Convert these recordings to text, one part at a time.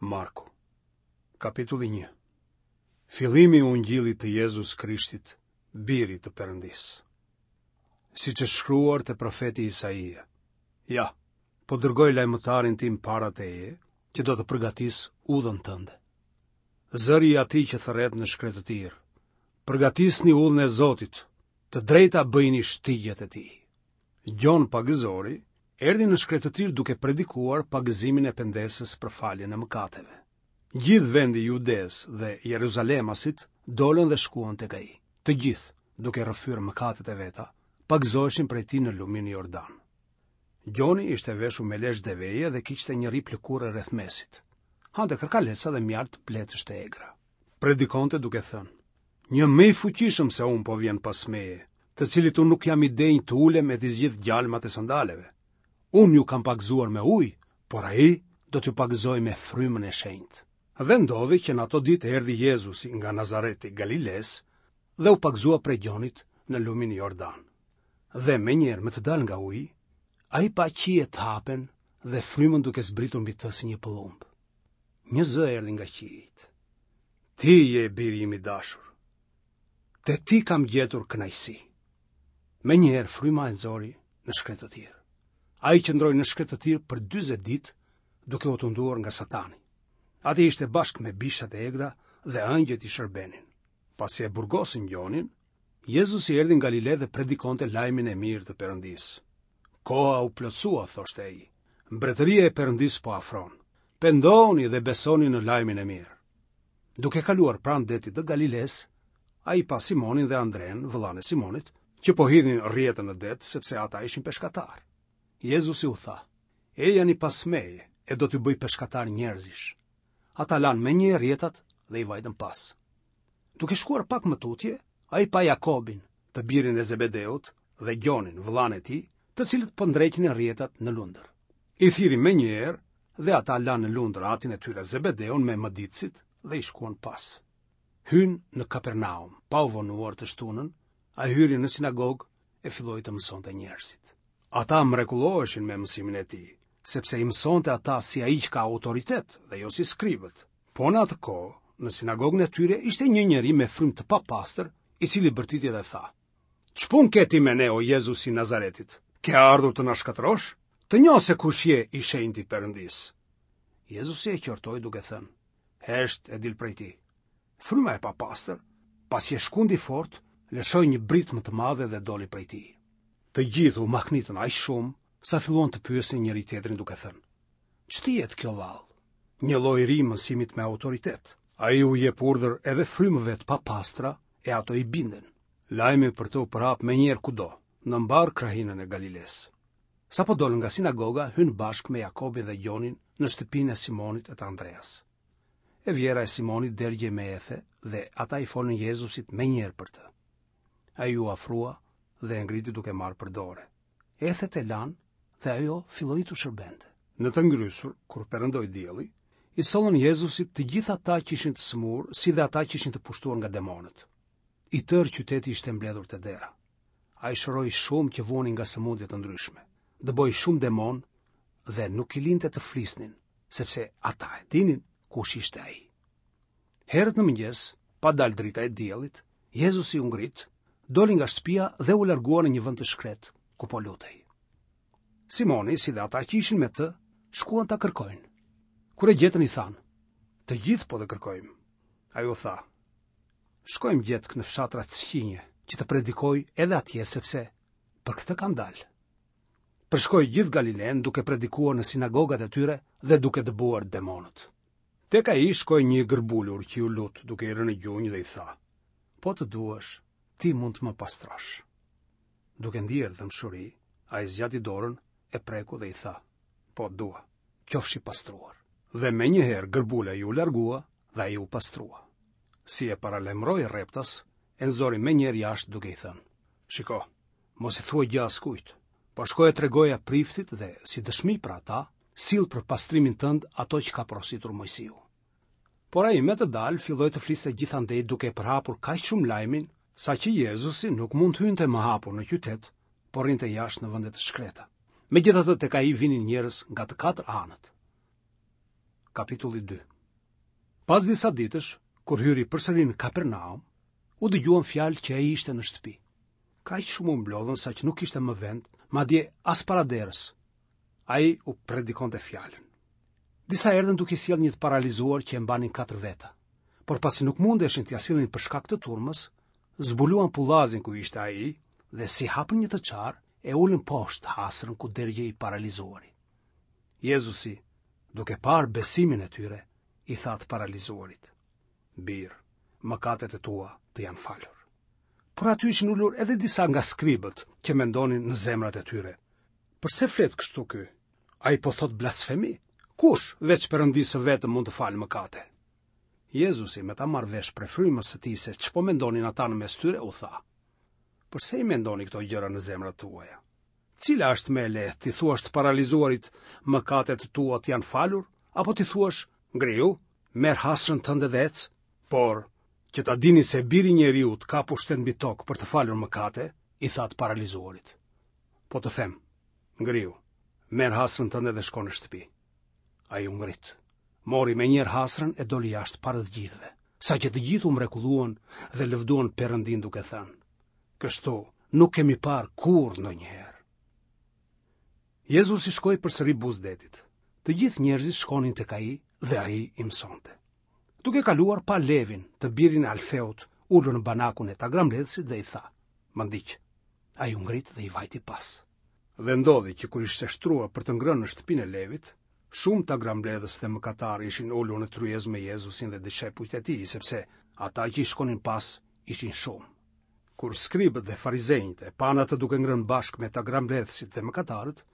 Marku, kapitulli 1. Fillimi i Ungjillit të Jezus Krishtit, birit të Perëndisë. Siç është shkruar te profeti Isaia. Ja, po dërgoj lajmëtarin tim para teje, që do të përgatisë udhën tënde. Zëri i atij që thërret në shkretëtirë. Përgatisni udhën e Zotit, të drejta bëjini shtigjet e tij. Gjon Pagëzori erdhi në shkretëtirë duke predikuar pagëzimin e pendesës për faljen e mëkateve. Gjithë vendi i Judesë dhe Jeruzalemasit dolën dhe shkuan tek ai. Të gjithë, duke rrëfyer mëkatet e veta, pagëzoheshin prej tij në lumin Jordan. Gjoni ishte veshur me lesh deveje dhe kishte një rrip lëkure rreth mesit. Hante karkaleca dhe mjaltë bletësh të egra. Predikonte duke thënë: Një më i fuqishëm se unë po vjen pas meje, të cilit unë nuk jam i denjë të ulem e t'i zgjidh gjalmat e sandaleve. Unë ju kam pagëzuar me ujë, por ai do t'ju pagëzojë me frymën e shenjtë. Dhe ndodhi që në ato ditë erdhi Jezusi nga Nazareti i Galilesë dhe u pagëzua prej Gjonit në lumin Jordan. Dhe menjëherë me të dalë nga uji, ai pa qiejt të hapen dhe frymën duke zbritur mbi të si një pëllumb. Një zë erdhi nga qiejt. Ti je biri im i dashur. Te ti kam gjetur kënaqësi. Menjëherë fryma e nxori në shkretëtirë. Ai qëndroi në shkretëtirë për 40 ditë duke u tunduar nga Satani. Atje ishte bashkë me bishat e egra dhe engjëjt i shërbenin. Pasi e burgosën Gjonin, Jezusi erdhi në Galile dhe predikonte lajmin e mirë të Perëndisë. Koha u plotësua, thoshte ai. Mbretëria e Perëndisë po afron. Pendohuni dhe besoni në lajmin e mirë. Duke kaluar pranë detit të Galilesë, ai pa Simonin dhe Andrenë, vëllanë e Simonit, që po hidhnin rrjetën në det, sepse ata ishin peshkatarë. Jezusi u tha: Ejani pas meje, e do t'ju bëj peshkatarë njerëzish. Ata lanë menjëherë rrjetat dhe i vajtën pas. Duke shkuar pak më tutje, ai pa Jakobin, të birin e Zebedeut, dhe Gjonin, vëllanë e tij, të cilët po ndreqnin rrjetat në lundër. I thirri menjëherë dhe ata lanë në lundër atin e tyre Zebedeun me mëditësit dhe i shkuan pas. Hynë në Kapernaum, pa u vonuar të shtunën, ai hyri në sinagogë e filloi të mësonte njerëzit. Ata mrekulloheshin me mësimin e tij, sepse i mësonte ata si ai që ka autoritet dhe jo si skribët. Po në atë kohë, në sinagogën e tyre ishte një njeri me frymë të papastër, i cili bërtiti dhe tha: Ç'punë ke ti me ne o Jezus i Nazaretit? Ke ardhur të na shkatërrosh? Të njoh se kush je i shenjti i Perëndisë. Jezusi e qortoi duke thënë: Hesht e dil prej tij. Fryma e papastër, pasi e shkundi fort, lëshoi një britmë të madhe dhe doli prej tij. Të gjithë u mahnitën aq shumë, sa filluan të pyesnin njëri-tjetrin duke thënë: Ç'të jetë kjo vallë? Një lloj i ri i mësimit me autoritet. Ai u jep urdhër edhe frymëve të papastra e ato i binden. Lajmi për të u përhap menjëherë kudo, në mbarë krahinën e Galilesë. Sapo dolën nga sinagoga, hynë bashkë me Jakobin dhe Gjonin në shtëpinë e Simonit e të Andreas. E vjehrra e Simonit dergjej me ethe dhe ata i folën Jezusit menjëherë për të. Ai iu afrua dhe e ngriti duke marrë për dore. Ethet e lanë dhe ajo filloi t'u shërbente. Në të ngrysur, kur perëndoi dielli, i sollën Jezusit të gjithë ata që ishin të sëmurë, si dhe ata që ishin të pushtuar nga demonët. I tërë qyteti ishte mbledhur te dera. Ai shëroi shumë që vuanin nga sëmundje të ndryshme, dëboi shumë demonë dhe nuk i linte të flisnin, sepse ata e dinin kush ishte ai. Herët në mëngjes, pa dalë drita e diellit, Jezusi u ngrit, doli nga shtëpia dhe u largua në një vend të shkretë, ku po lutej. Simoni, si dhe ata që ishin me të, shkuan ta kërkojnë. Kur e gjetën i thanë, të gjithë po të kërkojnë. Ai u tha, shkojmë gjetkë në fshatrat fqinje, që të predikoj edhe atje, sepse për këtë kam dalë. Përshkoi gjithë Galilenë duke predikuar në sinagogat e tyre dhe duke dëbuar demonët. Tek ai shkoi një i gërbulur që iu lut duke i rënë në gjunjë dhe i tha, po të duash, ti mund të më pastrosh. Duke ndier dhembshuri, ai zgjati dorën, e preku dhe i tha, po dua, qofsh i pastruar. Dhe menjëherë gërbula iu largua dhe ai u pastrua. Si e paralajmëroi rreptas, e nxori menjëherë jashtë duke i thënë, shiko, Mos i thuaj gjë askujt, por shko e tregoja priftit dhe, si dëshmi për ata, sill për pastrimin tënd ato që ka porositur Moisiu. Por ai me të dalë filloi të fliste gjithandej duke e përhapur kaq shumë lajmin, saqë Jezusi nuk mund të hynte më hapur në qytet, por rrinte jashtë në vende të shkreta. Megjithatë tek ai vinin njerëz nga të katër anët. Kapitulli 2. Pas disa ditësh, kur hyri përsëri në Kapernaum, u dëgjuan fjalë që ai ishte në shtëpi. Kaq shumë u mblodhën saqë nuk kishte më vend, madje as para derës. Ai u predikonte fjalën. Disa erdhën duke sjellë një të paralizuar që e mbanin katër veta. Por pasi nuk mundeshin t'ia sillnin për shkak të turmës, zbuluan pullazin ku ishte ai dhe si hapën një të çarë, e ulën poshtë hasrën ku dergjej i paralizuari. Jezusi, duke parë besimin e tyre, i tha të paralizuarit: Bir, mëkatet e tua të janë falur. Por aty ishin ulur edhe disa nga skribët që mendonin në zemrat e tyre. Përse flet kështu ky? Ai po thotë blasfemi? Kush, veç Perëndisë së vetëm mund të falë mëkate? Jezusi, me ta marrë vesh prej frymës së tij se ç'po mendonin ata në mes tyre, u tha: Përse i mendoni këto gjëra në zemrat tuaja? Cila është më e lehtë, t'i thuash të paralizuarit, mëkatet e tua të janë falur, apo t'i thuash, ngrihu, merr hasrën tënde dhe ec? Por, që ta dini se biri i njeriut ka pushtet mbi tokë për të falur mëkate, i tha të paralizuarit. Po të them, ngrihu, merr hasrën tënde dhe shko në shtëpi. Ai u ngrit, mori menjëherë hasrën e doli jashtë para të gjithëve, saqë të gjithë u mrekulluan dhe lëvduan Perëndinë duke thënë, kështu nuk kemi parë kurrë ndonjëherë. Jezusi shkoi përsëri buzë detit. Të gjithë njerëzit shkonin tek ai dhe ai i mësonte. Duke kaluar pa Levin, të birin e Alfeut, ulur në banakun e tagrambledhësit dhe i tha: "Më ndiq." Ai u ngrit dhe i vajti pas. Dhe ndodhi që kur ishte shtruar për të ngrënë në shtëpinë e Levit, shumë tagrambledhës dhe mëkatarë ishin ulur në tryezë me Jezusin dhe dishepujt e tij, sepse ata që i shkonin pas ishin shumë. Kur skribët dhe farizenjtë e panë atë duke ngrënë bashkë me tagrambledhësit dhe mëkatarët,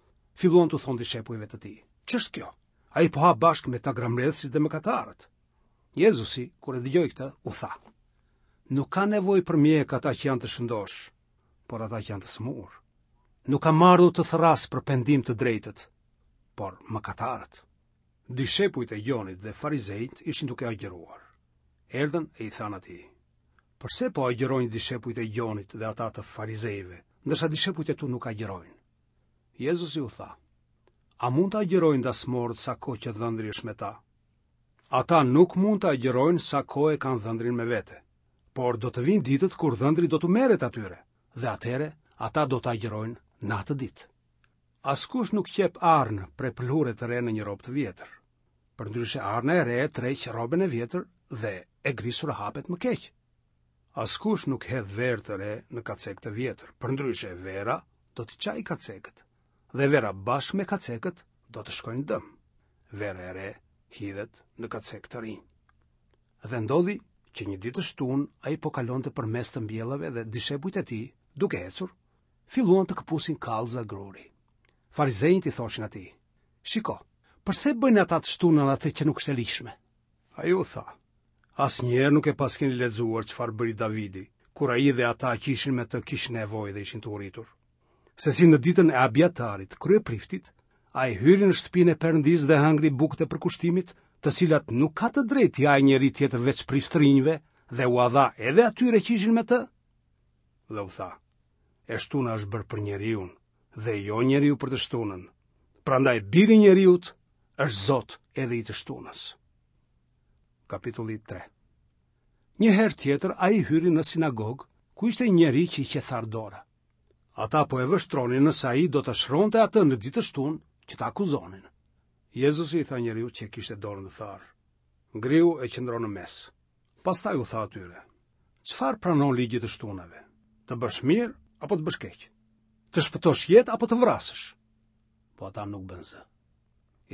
filluan t'u thonë dishepujve të tij: "Ç'është kjo? Ai po ha bashkë me tagrambledhësit dhe mëkatarët." Jezusi, kur e dëgjoi këtë, u tha: "Nuk ka nevojë për mjek ata që janë të shëndoshë, por ata që janë të sëmurë. Nuk kam ardhur të thërras për pendim të drejtët, por mëkatarët." Dishepujt e Gjonit dhe farizenjtë ishin duke agjëruar. Erdhën e i thanë atij: Përse po agjërojnë dishepujt e Gjonit dhe ata të farizejve, ndërsa dishepujt e tu nuk agjërojnë? Jezusi u tha, A mund të agjërojnë dasmorët sa kohë që dhëndri është me ta? Ata nuk mund të agjërojnë sa kohë e kanë dhëndrin me vete, por do të vijnë ditët kur dhëndri do t'u merret atyre, dhe atëherë ata do të agjërojnë në atë ditë. Askush nuk qep arnë prej pëlhure të re në një rrobë të vjetër. Përndryshe arna e re tërheq rrobën e vjetër dhe e grisura hapet më keq. Askush nuk hedh verë të re në kacek të vjetër, përndryshe vera do t'i çajë kacekët dhe vera bashkë me kacekët do të shkojnë dëm. Vera e re hidhet në kacekë të rinj. Dhe ndodhi që një ditë të shtunë ai po kalonte përmes të mbjellave dhe dishepujt e tij, duke ecur, filluan të këpusin kallëza gruri. Farizenjtë i thoshin atij, Shiko, përse bëjnë ata të shtunën atë që nuk është e ligjshme? Ai u tha, asnjëherë nuk e paskeni lexuar çfarë bëri Davidi, kur ai dhe ata që ishin me të kishin nevojë dhe ishin të uritur. Se si në ditën e Abiatarit, kryepriftit, ai hyri në shtëpinë e Perëndisë dhe hëngri bukët e përkushtimit, të cilat nuk ka të drejtë t'i hajë njeri tjetër veç priftërinjve dhe ua dha edhe atyre që ishin me të. Dhe u tha, e shtuna është bërë për njeriun dhe jo njeriu për të shtunën. Prandaj biri i njeriut është Zot edhe i të shtunës. Kapitulli 3. Një herë tjetër ai hyri në sinagogë, ku ishte një njeri që i qe tharë dora. Ata po e vështronin nëse ai do ta shëronte atë në ditë të shtunë që ta akuzonin. Jezusi i tha njeriut që e kishte dorën të tharë: Ngrihu e qëndro në mes. Pastaj u tha atyre: Çfarë pranon ligji i të shtunave? Të bësh mirë apo të bësh keq? Të shpëtosh jetë apo të vrasësh? Po ata nuk bënë zë.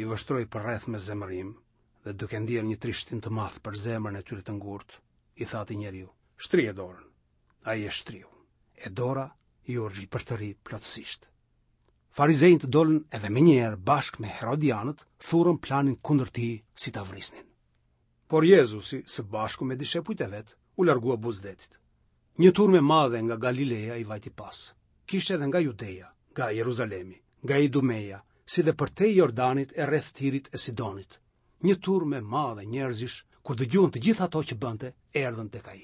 I vështroi përreth me zemërim dhe duke ndier një trishtim të madh për zemrën e tyre të ngurtë, i tha atij njeriu: Shtrije dorën. Ai e shtriu. E dora iu ripërtëri plotësisht. Farizenjtë dolën edhe menjëherë bashkë me Herodianët thurën planin kundër tij si ta vrisnin. Por Jezusi, së bashku me dishepujt e vet, u largua buzë detit. Një turmë e madhe nga Galileja i vajti pas. Kishte edhe nga Judeja, nga Jeruzalemi, nga Idumeja, si dhe përtej Jordanit e rreth Tirit e Sidonit. Një turmë e madhe njerëzish, kur dëgjuan të gjitha ato që bënte, erdhën tek ai.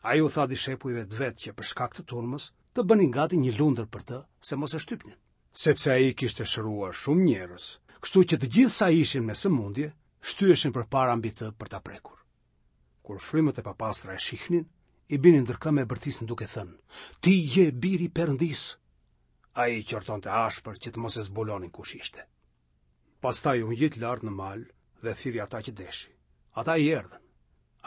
Ai u tha dishepujve të vet që për shkak të turmës të bënin gati një lundër për të, se mos e shtypnin. Sepse ai kishte shëruar shumë njerëz, kështu që të gjithë sa ishin me sëmundje, shtyheshin përpara mbi të për ta prekur. Kur frymët e papastra e shihnin, i binin ndër këmbë e bërtisnin duke thënë: "Ti je biri i Perëndisë." Ai i qortonte ashpër që të mos e zbulonin kush ishte. Pastaj u ngjit lart në mal dhe thirri ata që deshi. Ata i erdhën.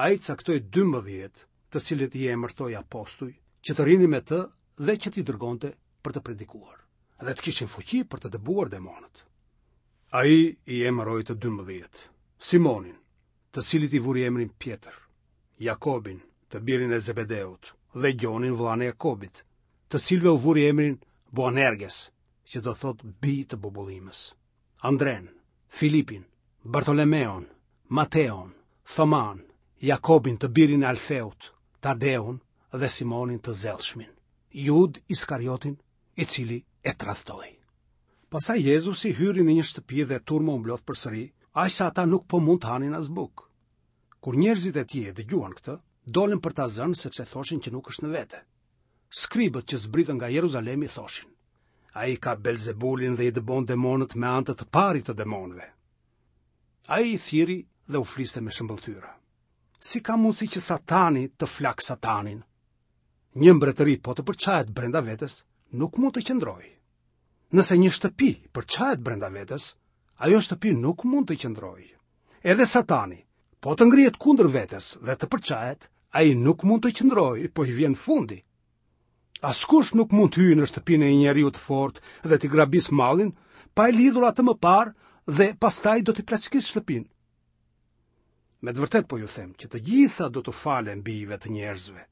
Ai caktoi 12, të cilët i emërtoi apostuj, që të rrinin me të dhe që t'i dërgonte për të predikuar dhe të kishin fuqi për të dëbuar demonët. Ai i emëroi të 12, Simonin, të cilit i vuri emrin Pjetër, Jakobin, të birin e Zebedeut, dhe Gjonin vëllanë e Jakobit, të cilëve u vuri emrin Boanerges, që do thotë bij të bubullimës. Andrenë, Filipin, Bartolomeun, Mateun, Thomanë, Jakobin të birin e Alfeut, Tadeun dhe Simonin të zellshmin, Judë Iskariotin, i cili e tradhtoi. Pastaj Jezusi hyri në një shtëpi dhe turma u mblodh përsëri, aq sa ata nuk po mund të hanin as bukë. Kur njerëzit e tij e dëgjuan këtë, dolën për ta zënë sepse thoshin që nuk është në vete. Skribët që zbritën nga Jeruzalemi thoshin: Ai ka Belzebulin dhe i dëbon demonët me anë të të parit të demonëve. Ai i thirri dhe u fliste me shëmbëlltyra. Si ka mundësi që Satani të flakë Satanin? Një mbretëri po të përçahet brenda vetes, nuk mund të qëndrojë. Nëse një shtëpi përçahet brenda vetes, ajo shtëpi nuk mund të qëndrojë. Edhe Satani, po të ngrihet kundër vetes dhe të përçahet, ai nuk mund të qëndrojë, po i vjen fundi. Askush nuk mund të hyjë në shtëpinë e një njeriu të fortë dhe t'i grabisë mallin, pa e lidhur atë më parë dhe pastaj do t'i plaçkisë shtëpinë. Me të vërtetë po ju them që të gjitha do t'u falen bijve të njerëzve,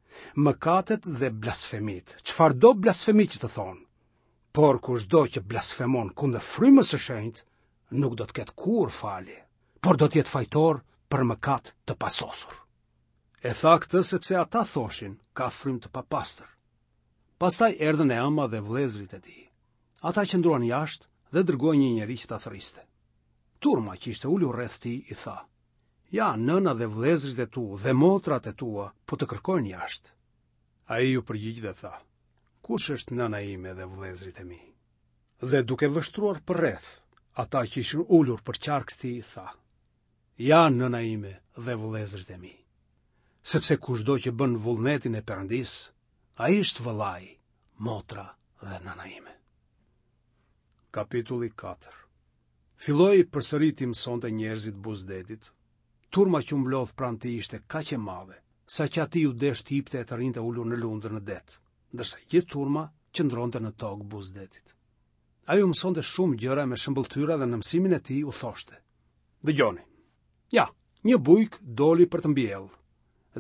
mëkatet dhe blasfemitë, çfarëdo blasfemi që të thonë. Por kushdo që blasfemon kundër frymës së shenjtë, nuk do të ketë kurrë falje, por do të jetë fajtor për mëkat të pasosur. E tha këtë sepse ata thoshin, ka frymë të papastër. Pastaj erdhën e ëma dhe vëllezërit e tij. Ata qëndruan jashtë dhe dërguan një njeri që ta thërriste. Turma që ishte ulur rreth tij i tha: Ja, nëna dhe vëllezërit e tu dhe motrat e tua po të kërkojnë jashtë. Ai iu përgjigj dhe tha: Kush është nëna ime dhe vëllezërit e mi? Dhe duke vështruar përreth, ata që ishin ulur përqark tij, tha: Ja nëna ime dhe vëllezërit e mi. Sepse kushdo që bën vullnetin e Perëndisë, ai është vëllai, motra dhe nëna ime. Kapitulli 4 Filloi përsëri t'i mësonte njerëzit buzë detit. Turma që u mblodh pranë tij ishte kaq e madhe, saqë atij iu desh të hipte e të rrinte ulur në lundër në det, ndërsa gjithë turma qëndronte në tokë buzë detit. Ai u mësonte shumë gjëra me shëmbëlltyra dhe në mësimin e tij u thoshte: Dëgjoni. Ja, një bujk doli për të mbjellë.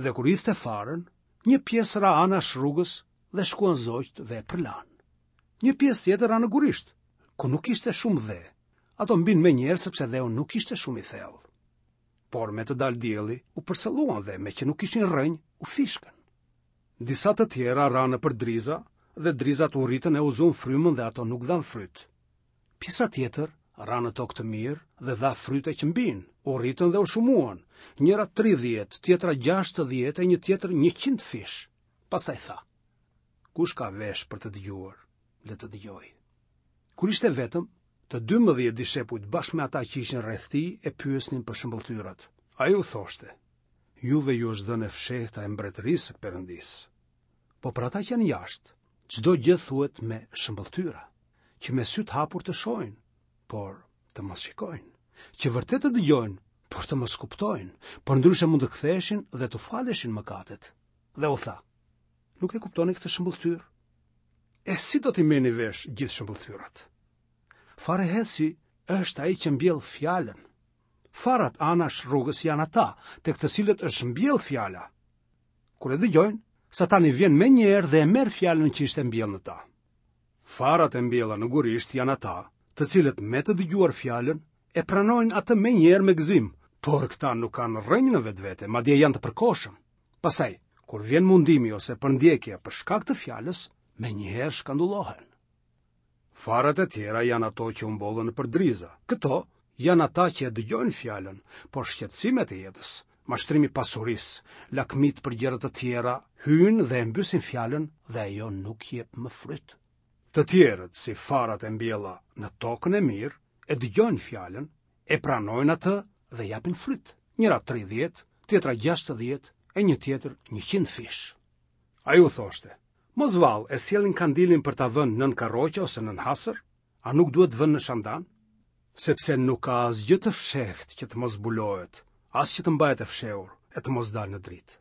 Dhe kur hidhte farën, një pjesë ra anash rrugës dhe shkuan zogjtë dhe e përlanë. Një pjesë tjetër ra në gurisht, ku nuk ishte shumë dhe. Ato mbinë menjëherë sepse dheu nuk ishte shumë i thellë. Por me të dalë dielli, u përsëlluan dhe meqë nuk kishin rrënjë, u fishkën. Disa të tjera ranë nëpër driza dhe drizat u rritën e u zunë frymën dhe ato nuk dhanë fryt. Pjesa tjetër ra në tokë të mirë dhe dha fryte që mbinë, u rritën dhe u shumuan, njëra 30, tjetra 60 e një tjetër 100 fish. Pastaj tha, kush ka vesh për të dëgjuar, le të dëgjojë. Kur ishte vetëm, të 12 dishepujt bashkë me ata që ishin rreth tij e pyesnin për shëmbëlltyrat. Ai u thoshte, Juve ju është dhënë e fshehta e mbretërisë së Perëndisë. Po për ata që janë jashtë, çdo gjë thuhet me shëmbëlltyra, që me sy të hapur të shohin, por të mos shikojnë, që vërtet të dëgjojnë, por të mos kuptojnë, përndryshe mund të ktheheshin dhe t'u faleshin mëkatet. Dhe u tha, nuk e kuptoni këtë shëmbëlltyrë? E si do t'i merrni vesh gjithë shëmbëlltyrat? Farëhedhësi është ai që mbjell fjalën. Farat anash rrugës janë ata, tek të cilët është mbjellë fjala. Kur e dëgjojnë, Satani vjen menjëherë dhe e merr fjalën që ishte mbjellë në ta. Farat e mbjella në gurisht janë ata, të cilët me të dëgjuar fjalën, e pranojnë atë menjëherë me gëzim, por këta nuk kanë rrënjë në vetvete, madje janë të përkohshëm. Pastaj, kur vjen mundimi ose përndjekja për shkak të fjalës, menjëherë shkandullohen. Farat e tjera janë ato që u mbollën nëpër driza. Këto janë ata që e dëgjojnë fjalën, por shqetësimet e jetës, mashtrimi i pasurisë, lakmitë për gjëra të tjera hyjnë dhe e mbysin fjalën dhe ajo nuk jep më fryt. Të tjerët, si farat e mbjella në tokën e mirë, e dëgjojnë fjalën, e pranojnë atë. dhe japin fryt, njëra 30, tjetra 60 e një tjetër 100 fish. Ai u thoshte, mos vallë e sjellin kandilin për ta vënë nën karroqe ose nën hasër, a nuk duhet vënë në shandan? Sepse nuk ka asgjë të fshehtë që të mos zbulohet, as që të mbahet e fshehur e të mos dalë në dritë.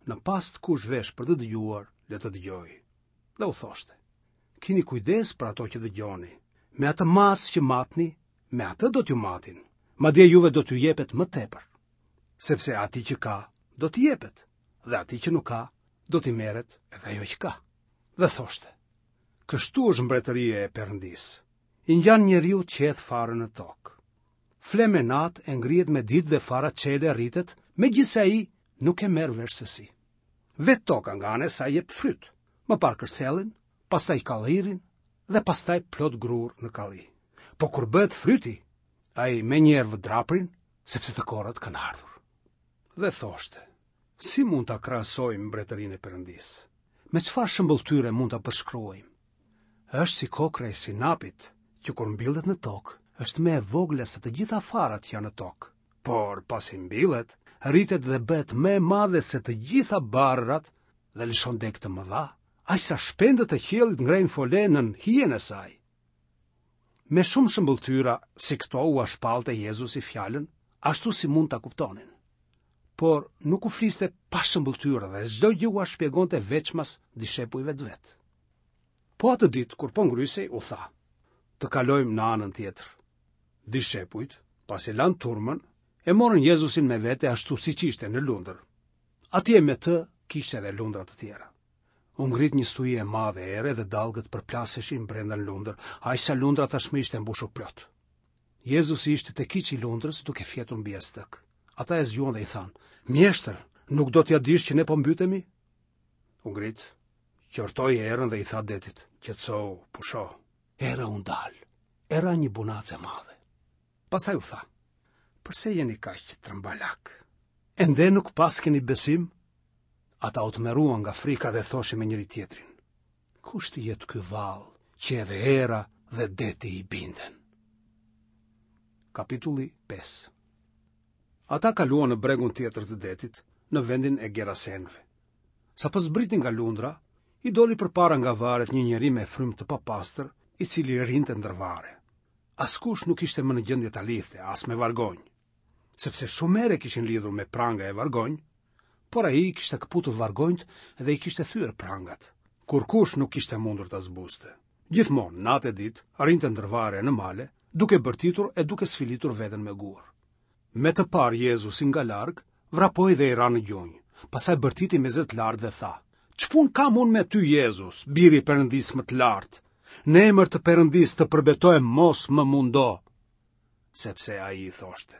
Në pastë kush vesh për të dëgjuar, le të dëgjojë. Dhe u thoshte, kini kujdes për ato që dëgjoni, me atë masë që matni, me atë do t'ju matin, madje juve do t'ju jepet më tepër. Sepse atij që ka, do t'i jepet, dhe atij që nuk ka, do t'i merret edhe ajo që ka. Dhe thoshte, kështu është mbretëria e Perëndisë, i ngjan njeriut që hedh farën në tokë. Fle me natë e ngrihet me ditë dhe fara çel e rritet, megjithëse ai nuk e merr vesh se si. Vetë toka nga ana e saj jep fryt, më parë kërcellin, pastaj kallirin dhe pastaj plot grurë në kalli. Po kur bëhet fryti, ai menjëherë vë draprin, sepse të korrat kanë ardhur. Dhe thoshte, si mund ta krahasojmë mbretërinë e Perëndisë? Me çfarë shëmbëlltyre mund ta përshkruajmë? Është si kokrra e sinapit, që kur mbillet në tokë, është më e vogla se të gjitha farat që janë në tokë. Por pasi mbillet, rritet dhe bëhet më e madhe se të gjitha barërat dhe lëshon degë të mëdha, aq sa shpendët e qiellit ngrejnë fole nën hijen e saj. Me shumë shëmbëlltyra si këto ua shpallte Jezusi fjalën, ashtu si mund ta kuptonin. Por nuk u fliste pa shëmbëlltyra dhe çdo gjë ua shpjegonte veçmas dishepujve të vet. Po atë ditë kur po ngrysej u tha: Të kalojmë në anën tjetër. Dishepujt, pasi lanë turmën, e morën Jezusin me vete ashtu siç ishte në lundër. Atje me të kishte edhe lundra të tjera. U ngrit një stuhi e madhe ere dhe dallgët përplaseshin brenda në lundër, aq sa lundra tashmë ishte mbushur plot. Jezusi ishte te kyçi i lundrës duke fjetur mbi jastëk. Ata e zgjuan dhe i thanë: "Mjeshtër, nuk do t'ia dish që ne po mbytemi?" U ngrit, qortoi erën dhe i tha detit: "Qetësohu, pusho." Era u ndal. E ra një bunacë e madhe. Pastaj u tha: "Përse jeni kaq trembalakë? Ende nuk paskeni besim?" Ata u tmerruan nga frika dhe thoshin me njëri-tjetrin: Kush të jetë ky vallë që edhe era dhe deti i binden? Kapitulli 5 Ata kaluan në bregun tjetër të detit, në vendin e Gerasenëve. Sapo zbritën nga lundra, i doli përpara nga varret një njeri me frymë të papastër, i cili rrinte ndër varre. Askush nuk ishte më në gjendje ta lidhte, as me vargonj, sepse shumë herë e kishin lidhur me pranga e vargonj, por ai i kishte këputur vargonjtë dhe i kishte thyer prangat. Kurrkush nuk kishte mundur ta zbuste. Gjithmonë, natë e ditë, rrinte ndër varre e në male, duke bërtitur e duke sfilitur veten me gurë. Me të parë Jezusin nga larg, vrapoi dhe i ra në gjunjë. Pastaj bërtiti me zë të lartë dhe tha: Ç'punë kam unë me ty Jezus, biri i Perëndisë më të lartë? Në emër të Perëndisë të përbetohem mos më mundo. Sepse ai i thoshte: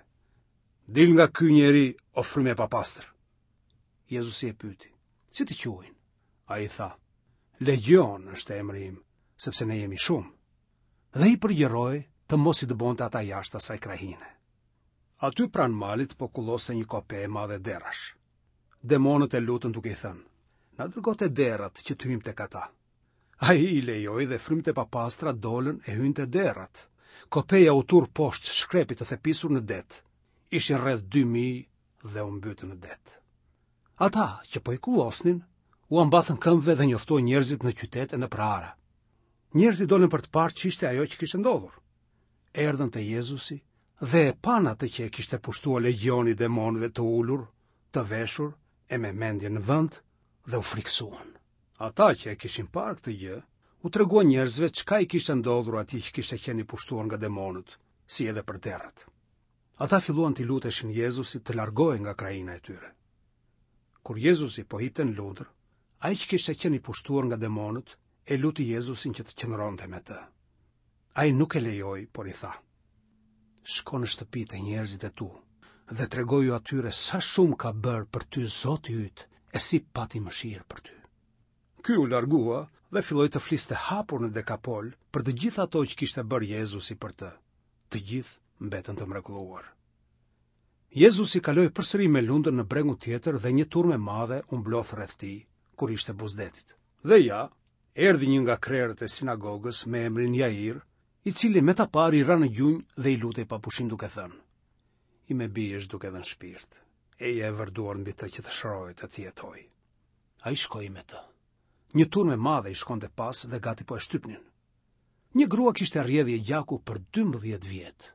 Dil nga ky njeri o frymë e papastër. Jezusi e pyeti: Si të quajnë? Ai tha: Legjion është emri im, sepse ne jemi shumë. Dhe i përgjëroi të mos i dëbonte ata jashtë asaj krahine. Aty pranë malit po kulloste një kope e madhe derrash. Demonët e lutën duke i thënë, na dërgo te derrat që të hyjmë tek ata. Ai i lejoi dhe frymët e papastra dolën e hynë te derrat. Kopeja u turr poshtë shkrepit të thepisur në det. Ishin rreth 2000 dhe u mbytën në det. Ata që po i kullosnin, ua mbathën këmbëve dhe njoftuan njerëzit në qytet e nëpër ara. Njerëzit dolën për të parë ç'ishte ajo që kishte ndodhur. Erdhën te Jezusi dhe e panë atë që e kishte pushtuar legjioni i demonëve të ulur, të veshur e me mendjen në vend dhe u frikësuan. Ata që e kishin parë këtë gjë, u treguan njerëzve çka i kishte ndodhur atij që kishte qenë i pushtuar nga demonët, si edhe për derrat. Ata filluan t'i luteshin Jezusit të largohej nga krahina e tyre. Kur Jezusi po hipte në lundër, ai që kishte qenë i pushtuar nga demonët e luti Jezusin që të qëndronte me të. Ai nuk e lejoi, por i tha: Shko në shtëpi te njerëzit e tu dhe tregoju atyre sa shumë ka bërë për ty Zoti yt e si pati mëshirë për ty. Ky u largua dhe filloi të fliste hapur në Dekapol për të gjitha ato që kishte bërë Jezusi për të. Të gjithë mbetën të mrekulluar. Jezusi kaloi përsëri me lundër në bregun tjetër dhe një turmë e madhe u mblodh rreth tij, kur ishte buzë detit. Dhe ja, erdhi një nga krerët e sinagogës me emrin Jair, i cili me ta parë i ra në gjunjë dhe i lutej pa pushim duke thënë: Ime bijë është duke dhënë shpirt. Eja e vër duart mbi të që të shërohet e të jetojë. Ai shkoi me të. Një turmë e madhe i shkonte pas dhe gati po e shtypnin. Një grua kishte rrjedhje gjaku për 12 vjet.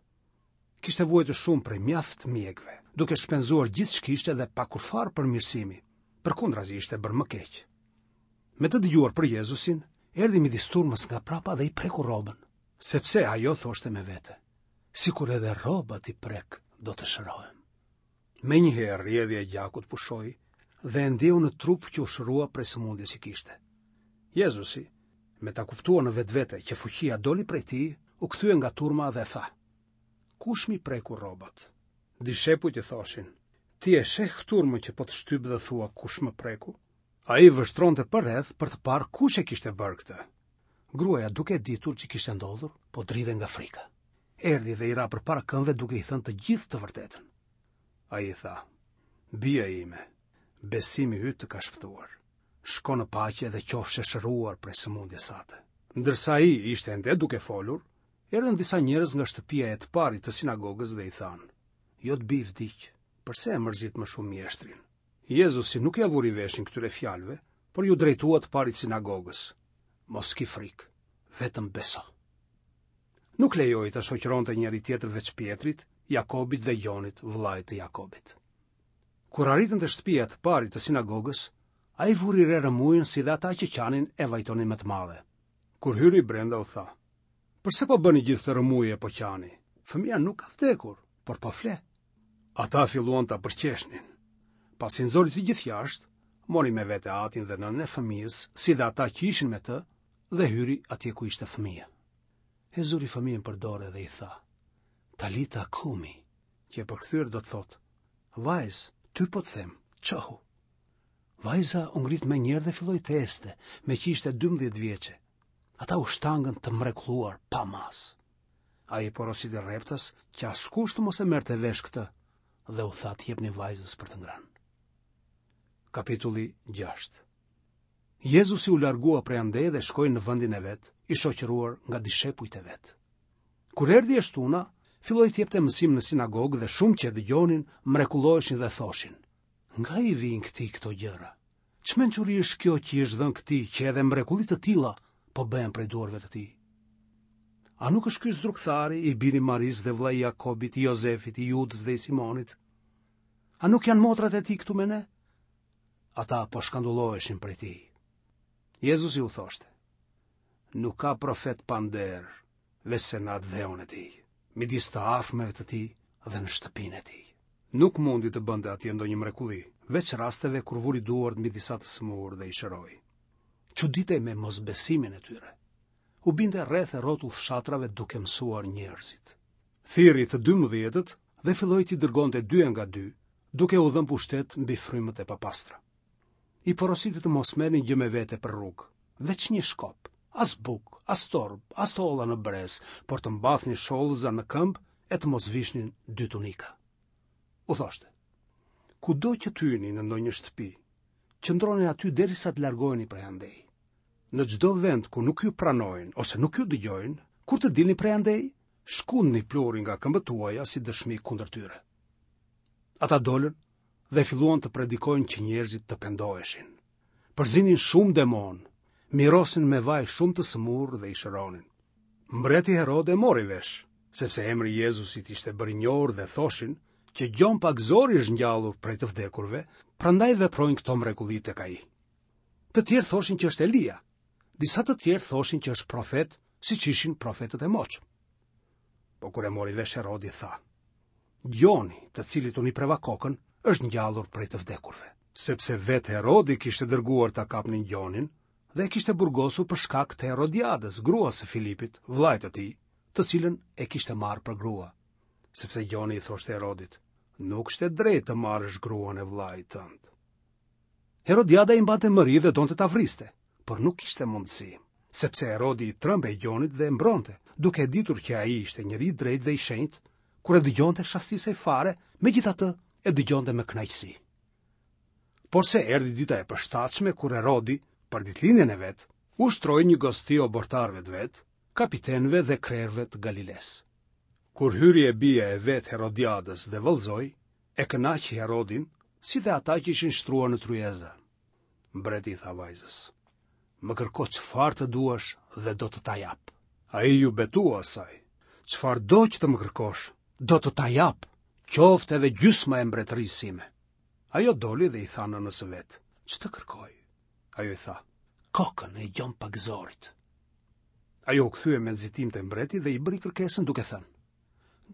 Kishte vuajtur shumë prej mjaft mjekëve, duke shpenzuar gjithë ç'kishte dhe pa kurrfarë përmirësimi. Përkundrazi ishte bërë më keq. Me të dëgjuar për Jezusin, erdhi midis turmës nga prapa dhe i preku rrobën, sepse ajo thoshte me vete, sikur edhe rroba t'i prek, do të shërohem. Menjëherë rrjedhja e gjakut pushoi dhe e ndjeu në trup që u shërua prej sëmundjes që kishte. Jezusi, me ta kuptuar në vetvete që fuqia doli prej tij, u kthye nga turma dhe tha: Kush m'i preku rrobat? Dishepujt i thoshin: Ti e sheh turmën që po të shtyp dhe thua kush më preku? Ai vështronte përreth për të parë kush e kishte bërë këtë. Gruaja duke e ditur ç'i kishte ndodhur, po dridhej nga frika. Erdhi dhe i ra përpara këmbëve duke i thënë të gjithë të vërtetën. Ai i tha, Bija ime, besimi yt të ka shpëtuar. Shko në paqe dhe qofsh e shëruar prej sëmundjes sate. Ndërsa ai ishte ende duke folur, erdhën disa njerëz nga shtëpia e të parit të sinagogës dhe i thanë, Jot bijë vdiq, përse e mërzit më shumë mjeshtrin? Jezusi nuk ia vuri veshin këtyre fjalëve, por iu drejtua të parit të sinagogës. Mos ki frikë, vetëm beso. Nuk lejoi ta shoqëronte njeri tjetër veç Pjetrit, Jakobit dhe Gjonit, vëllait të Jakobit. Kur arritën te shtëpia e të parit të sinagogës, ai vuri re rrëmujën si dhe ata që qanin e vajtonin me të madhe. Kur hyri brenda u tha: Përse po bëni gjithë këtë rrëmujë e po qani? Fëmija nuk ka vdekur, por po fle. Ata filluan ta përqeshnin. Pasi nxori të gjithë jashtë, mori me vete atin dhe nënën e fëmijës, si dhe ata që ishin me të, dhe hyri atje ku ishte fëmija. E zuri fëmijën për dore dhe i tha, Talita kumi, që e përkthyer do të thotë, vajzë, ty po të them, çohu. Vajza u ngrit menjëherë dhe filloi të ecte, meqë ishte 12 vjeçe. Ata u shtangën të mrekulluar pa masë. Ai i porositi rreptas që askush të mos e merrte vesh këtë dhe u tha t'i jepnin vajzës për të ngrënë. Kapitulli 6 Jezusi u largua prej andej dhe shkoi në vendin e vet, i shoqëruar nga dishepujt e vet. Kur erdhi e shtuna, filloi të jepte mësim në sinagogë dhe shumë që e dëgjonin, mrekulloheshin dhe thoshin: Nga i vijnë këtij këto gjëra? Ç'mençuri është kjo që i është dhënë këtij që edhe mrekulli të tilla po bëhen prej duarve të tij? A nuk është ky zdrukthari i biri i Marisë dhe vëllai i Jakobit, i Jozefit, i Judës dhe i Simonit? A nuk janë motrat e tij këtu me ne? Ata po shkandulloheshin prej tij. Jezusi u thoshte, nuk ka profet pa nder, veçse në atdheun e tij, midis të afërmve të tij dhe në shtëpinë e tij. Nuk mundi të bënte atje ndonjë mrekulli, veç rasteve kur vuri duart mbi disa të sëmurë dhe i shëroi. Çuditej me mosbesimin e tyre. U binte rreth e rrotull fshatrave duke mësuar njerëzit. Thirri të dymbëdhjetët dhe filloi t'i dërgonte dy e nga dy, duke u dhënë pushtet mbi frymët e papastra. I porositi të mos merrnin gjë me vete për rrugë, veç një shkop, as bukë, as torbë, as të holla në brez, por të mbathnin shollëza në këmbë e të mos vishnin dy tunika. U thoshte, kudo që të hyni në ndonjë shtëpi, qëndroni aty derisa të largoheni prej andej. Në çdo vend ku nuk ju pranojnë ose nuk ju dëgjojnë, kur të dilni prej andej, shkundni pluhurin nga këmbët tuaja si dëshmi kundër tyre. Ata dolën dhe filluan të predikojnë që njerëzit të pendoheshin. Përzinin shumë demonë, mirosnin me vaj shumë të sëmurë dhe i shëronin. Mbreti Herod e mori vesh, sepse emri i Jezusit ishte bërë i njohur dhe thoshin që Gjon Pagëzori është ngjallur prej të vdekurve, prandaj veprojnë këto mrekulli tek ai. Të tjerë thoshin që është Elia. Disa të tjerë thoshin që është profet, siç ishin profetët e moçëm. Po kur e mori vesh Herodi tha: Gjoni, të cilit unë i preva kokën, është ngjallur prej të vdekurve. Sepse vetë Herodi kishte dërguar ta kapnin Gjonin dhe e kishte burgosur për shkak të Herodiadës, gruas së Filipit, vëllait të tij, të cilën e kishte marrë për grua. Sepse Gjoni i thoshte Herodit, nuk është e drejtë të marrësh gruan e vëllait tënd. Herodiada i mbante mëri dhe donte ta vriste, por nuk kishte mundësi, sepse Herodi i trembej Gjonit dhe e mbronte, duke e ditur që ai ishte njeri i drejtë dhe i shenjtë, kur e dëgjonte shastisej fare, megjithatë e dëgjonte me kënaqësi. Porse erdhi dita e përshtatshme kur Herodi, për ditëlindjen e vet, u shtroi një gosti oborrtarëve të vet, kapitenëve dhe krerëve të Galilesë. Kur hyri e bija e vetë Herodiadës dhe vallëzoi, e kënaqi Herodin, si dhe ata që ishin shtruar në tryezë. Mbreti i tha vajzës: Më kërko çfarë të duash dhe do të ta jap. Ai iu betua asaj: Çfarëdo që të më kërkosh, do të ta jap, qoftë edhe gjysma e mbretërisë sime. Ajo doli dhe i tha nënës së vet: Ç'të kërkoj? Ajo i tha: Kokën e Gjon Pagëzorit. Ajo u kthye me nxitim te mbreti dhe i bëri kërkesën duke thënë: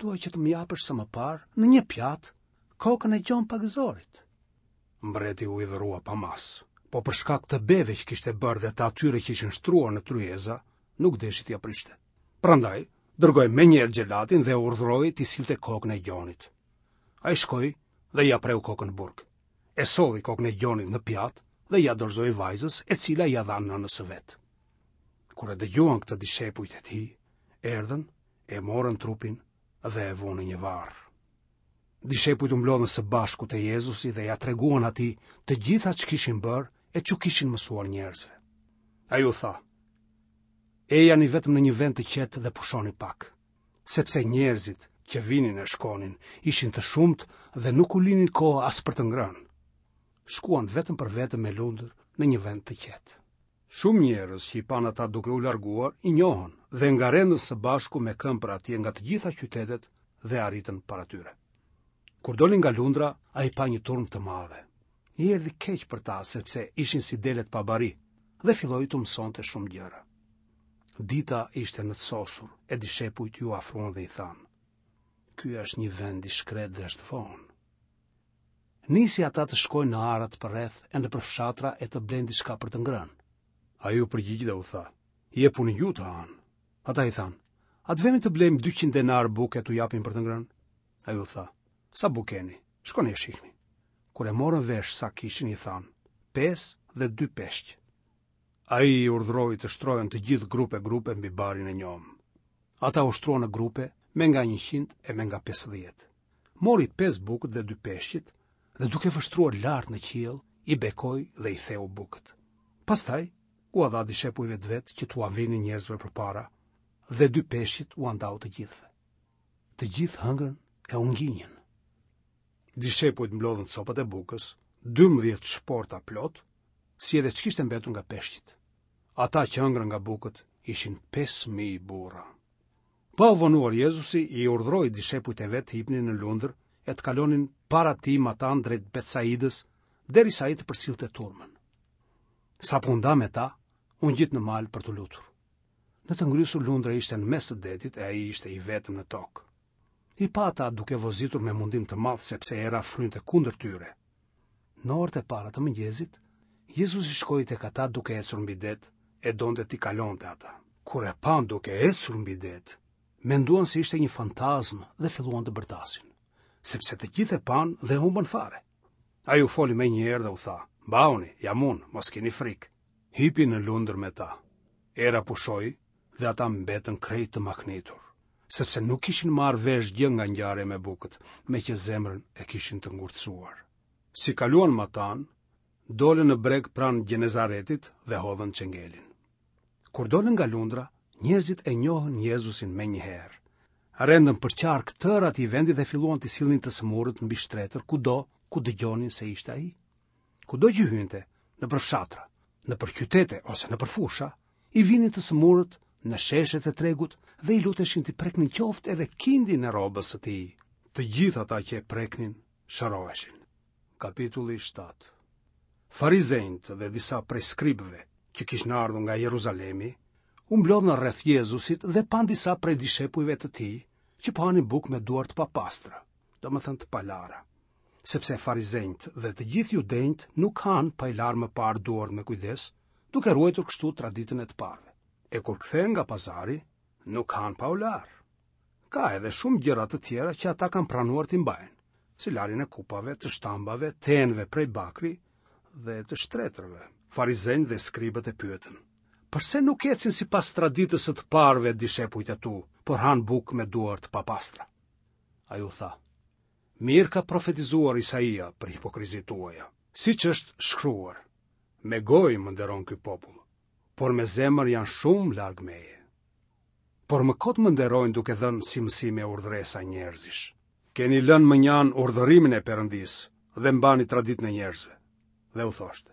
Dua që të më japësh sa më parë në një pjatë kokën e Gjon Pagëzorit. Mbreti u hidhërua pa masë, po për shkak të beve që kishte bërë dhe të atyre që ishin shtruar në tryeza, nuk deshi t'ia prishte. Prandaj, dërgoi menjëherë xhelatin dhe e urdhëroi t'i sillte kokën e Gjonit. Ai shkoi dhe ia preu kokën në burg. E solli kokën e Gjonit në pjatë dhe ia dorëzoi vajzës, e cila ia dha nënës së vet. Kur e dëgjuan këtë dishepujt e tij, erdhën, e morën trupin dhe e vunë në një varr. Dishepujt u mblodhën së bashku te Jezusi dhe ia treguan atij të gjitha ç'kishin bërë e ç'u kishin mësuar njerëzve. Ai u tha: Ejani vetëm në një vend të qetë dhe pushoni pak, sepse njerëzit që vinin e shkonin ishin të shumtë dhe nuk u linin kohë as për të ngrënë. Shkuan vetëm për vetëm me lundër në një vend të qetë. Shumë njerëz që i panë ata duke u larguar, i njohën dhe ngarendën së bashku me këmbë për atje nga të gjitha qytetet dhe arritën para tyre. Kur doli nga lundra, ai pa një turmë të madhe. I erdhi keq për ta sepse ishin si delet pa bari dhe filloi t'u mësonte shumë gjëra. Dita ishte nëtësosur e dishepujt iu afruan dhe i thanë: Ky është një vend i shkretë dhe është vonë. Nisi ata të shkojnë në arat përreth e nëpër fshatra e të blejnë diçka për të ngrënë. Ai u përgjigj dhe u tha, jepuni ju të hanë. Ata i thanë, a të vemi të blejmë 200 denarë bukë e t'u japim për të ngrënë? Ai u tha, sa bukë keni, shkoni e shihni. Kur e morën vesh sa kishin, i thanë, 5 dhe 2 peshq. Ai i urdhëroi të shtrohen të gjithë grupe grupe mbi barin e njomë. Ata u shtruan në grupe me nga 100 e me nga 50. Mori pesë bukët dhe dy peshqit dhe duke vështruar lart në qiell, i bekoi dhe i theu bukët. Pastaj ua dha dishepujve të vet që t'ua vinin njerëzve përpara dhe dy peshqit ua ndau të gjithëve. Të gjithë hëngrën e u nginjën. Dishepujt mblodhën copat e bukës, 12 shporta plot, si edhe ç'kishte mbetur nga peshqit. Ata që hëngrën nga bukët ishin 5000 burra. Pa u vonuar Jezusi i urdhëroi dishepujt e vet të hipnin në lundër e të kalonin para tij matanë drejt Betsaidës, derisa ai të përcillte turmën. Sapo u nda me ta, u ngjit në mal për t'u lutur. Në të ngrysur lundra ishte në mes të detit e ai ishte i vetëm në tokë. I pa ata duke vozitur me mundim të madh sepse era frynte kundër tyre. Në orët e para të mëngjesit, Jezusi shkoi tek ata duke ecur mbi det e donte t'i kalonte ata. Kur e panë duke ecur mbi det, menduan se ishte një fantazmë dhe filluan të bërtasin, sepse të gjithë e panë dhe humbën fare. Ai u foli menjëherë dhe u tha, mbahuni, jam unë, mos kini frikë. Hipi në lundër me ta. Era pushoi dhe ata mbetën krejt të mahnitur, sepse nuk kishin marrë vesh gjë nga ngjarja me bukët, meqë zemrën e kishin të ngurtësuar. Si kaluan matanë, dolën në breg pranë Gjenezaretit dhe hodhën çengelin. Kur dolën nga lundra, njerëzit e njohën Jezusin menjëherë. Rendën përqark tërë atij vendi dhe filluan t'i sillnin të sëmurët mbi shtretër kudo ku dëgjonin se ishte ai. Kudo që hynte, nëpër fshatra, nëpër qytete ose nëpër fusha, i vinin të sëmurët në sheshet e tregut dhe i luteshin t'i preknin qoftë edhe kindin e rrobës së tij. Të gjithë ata që e preknin, shëroheshin. Kapitulli 7 Farizenjtë dhe disa prej skribëve që kishin ardhur nga Jeruzalemi, u mblodhën rreth Jezusit dhe panë disa prej dishepujve të tij që po hanin bukë me duar të papastra, domethënë të palara. Sepse farizenjtë dhe të gjithë judenjtë nuk hanë pa i larë më parë duart me kujdes, duke ruajtur kështu traditën e të parëve. E kur kthehen nga pazari, nuk hanë pa u larë. Ka edhe shumë gjëra të tjera që ata kanë pranuar t'i mbajnë, si larjen e kupave, të shtambave, të enëve prej bakri dhe të shtretërve. Farizenjtë dhe skribët e pyetën: Përse nuk ecin sipas traditës së të parëve dishepujt e tu, por hanë bukë me duar të papastra? Ai u tha: Mirë ka profetizuar Isaia për hipokrizitë tuaja, siç është shkruar: Me gojë më nderon ky popull, por me zemër janë shumë larg meje. Por më kot më nderojnë duke dhënë si mësime urdhëresa njerëzish. Keni lënë mënjanë urdhërimin e Perëndisë dhe mbani traditën e njerëzve. Dhe u thoshte: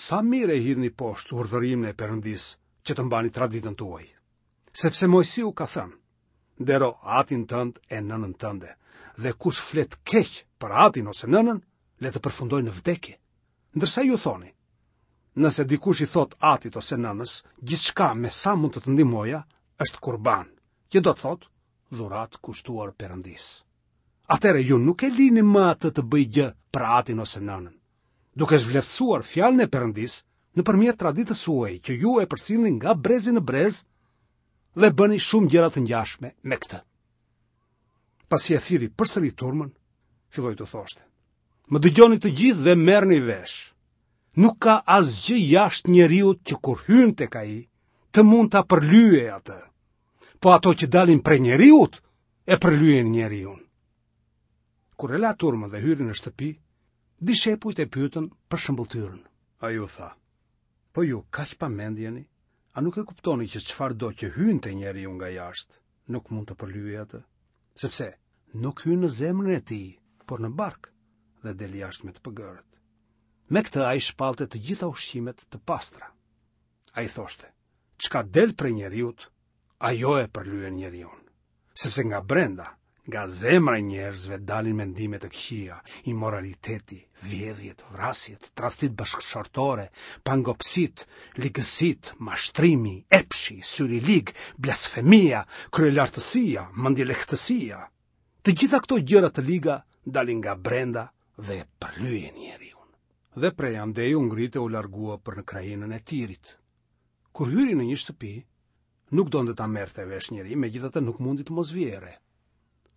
Sa mirë e hidhni poshtë urdhërimin e Perëndisë që të mbani traditën tuaj. Sepse Moisiu ka thënë: Ndero atin tënd e nënën tënde, dhe kush flet keq për atin ose nënën, le të përfundojë në vdekje. Ndërsa ju thoni, nëse dikush i thotë atit ose nënës, gjithçka me sa mund të të ndihmoja është kurban, që do të thotë dhuratë kushtuar Perëndisë. Atëherë ju nuk e lini më atë të bëjë gjë për atin ose nënën, duke zhvleftësuar fjalën e Perëndisë nëpërmjet traditës suaj që ju e përcillni nga brezi në brez dhe bëni shumë gjëra të ngjashme me këtë. Pasi e thirri përsëri turmën, filloi t'u thoshte: Më dëgjoni të gjithë dhe merrni vesh. Nuk ka asgjë jashtë njeriut që kur hyn tek ai, të mund ta përlyejë atë. Po ato që dalin prej njeriut, e përlyejnë njeriun. Kur e la turmën dhe hyri në shtëpi, dishepujt e pyetën për shëmbëlltyrën. Ai u tha, po ju kaq pa mend jeni, a nuk e kuptoni që çfarëdo që hyn te njeriu nga jashtë, nuk mund ta përlyejë atë? Sepse nuk hyn në zemrën e tij, por në bark dhe del jashtë me të pëgërët. Me këtë ai shpallte të gjitha ushqimet të pastra. Ai thoshte, çka del prej njeriut, ajo e përlyen njeriun. Sepse nga brenda, nga zemra e njerëzve dalin mendimet e këqija, imoraliteti, vjedhjet, vrasjet, tradhtitë bashkëshortore, pangopësitë, ligësitë, mashtrimi, epshi, syri i lig, blasfemia, kryelartësia, mendjelehtësia. Të gjitha këto gjëra të liga dalin nga brenda dhe e përlyejnë njeriun. Dhe prej andej u ngrit e u largua për në krahinën e Tirit. Kur hyri në një shtëpi, nuk donte ta merrte vesh njeri, megjithatë nuk mundi të mos vihej re.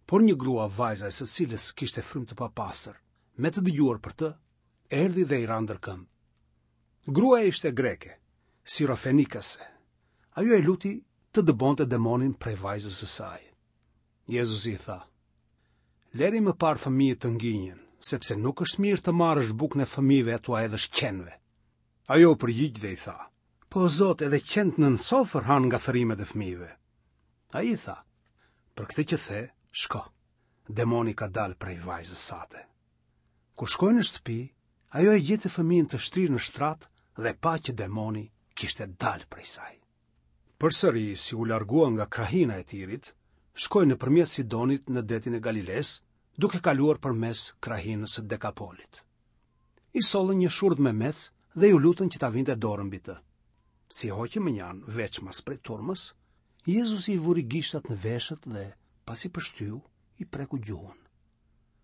Por një grua vajza e së cilës kishte frymë të papastër, me të dëgjuar për të, erdhi dhe i ra ndër këmbë. Gruaja ishte greke, sirofenikase. Ajo e luti të dëbonte demonin prej vajzës së saj. Jezusi i tha: Lëri më parë fëmijët të nginjen, sepse nuk është mirë të marrësh bukën e fëmijëve e t'ua hedhësh qenve. Ajo u përgjigj dhe i tha: Po Zot, edhe qentë nën sofër hanë nga thërrimet e fëmijëve. Ai i tha: Për këtë që the, shko. Demoni ka dalë prej vajzës sate. Kur shkoi në shtëpi, ajo e gjeti fëmijën të shtrirë në shtrat dhe pa që demoni kishte dalë prej saj. Përsëri, si u largua nga krahina e Tirit, shkoi nëpërmjet Sidonit në detin e Galilesë, duke kaluar përmes krahinës së Dekapolit. I sollën një shurdhmemec dhe iu lutën që ta vinte dorën mbi të. Si e hoqi mënjanë veçmas prej turmës, Jezusi i vuri gishtat në veshët dhe, pasi pështyu, i preku gjuhën.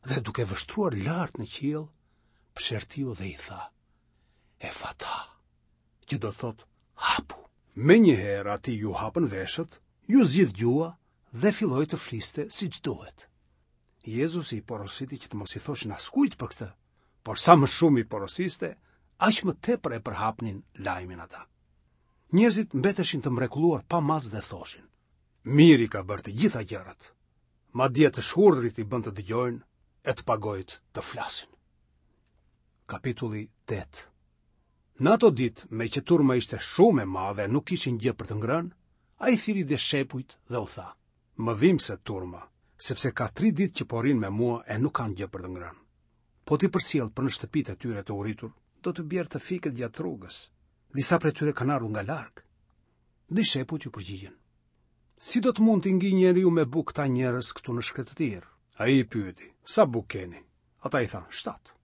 Dhe duke vështruar lart në qiell, psherëtiu dhe i tha, Efata, që do të thotë hapu. Menjëherë atij iu hapën veshët, iu zgjidh gjuha dhe filloi të fliste siç duhet. Jezusi i porositi që të mos i thoshin askujt për këtë, por sa më shumë i porosiste, aq më tepër e përhapnin lajmin ata. Njerëzit mbeteshin të mrekulluar pa masë dhe thoshin: Mirë i ka bërë të gjitha gjërat. Madje të shurdhrit i bën të dëgjojnë e të pagojët të flasin. Kapitulli 8 Në ato ditë, meqë turma ishte shumë e madhe e nuk kishin gjë për të ngrënë, ai thirri dishepujt dhe u tha: Më dhimbset turma, sepse ka tri ditë që po rrinë me mua e nuk kanë gjë për të ngrënë. Po t'i përcjell për në shtëpitë e tyre të uritur, do të bjerë të fikët gjatë rrugës. Disa prej tyre kanë ardhur nga larg. Dishepujt iu përgjigjën. Si do të mund t'i ngijë njeriu me bukë këta njerëz këtu në shkretëtirë? Ai i pyeti, sa bukë keni? Ata i thanë, shtatë.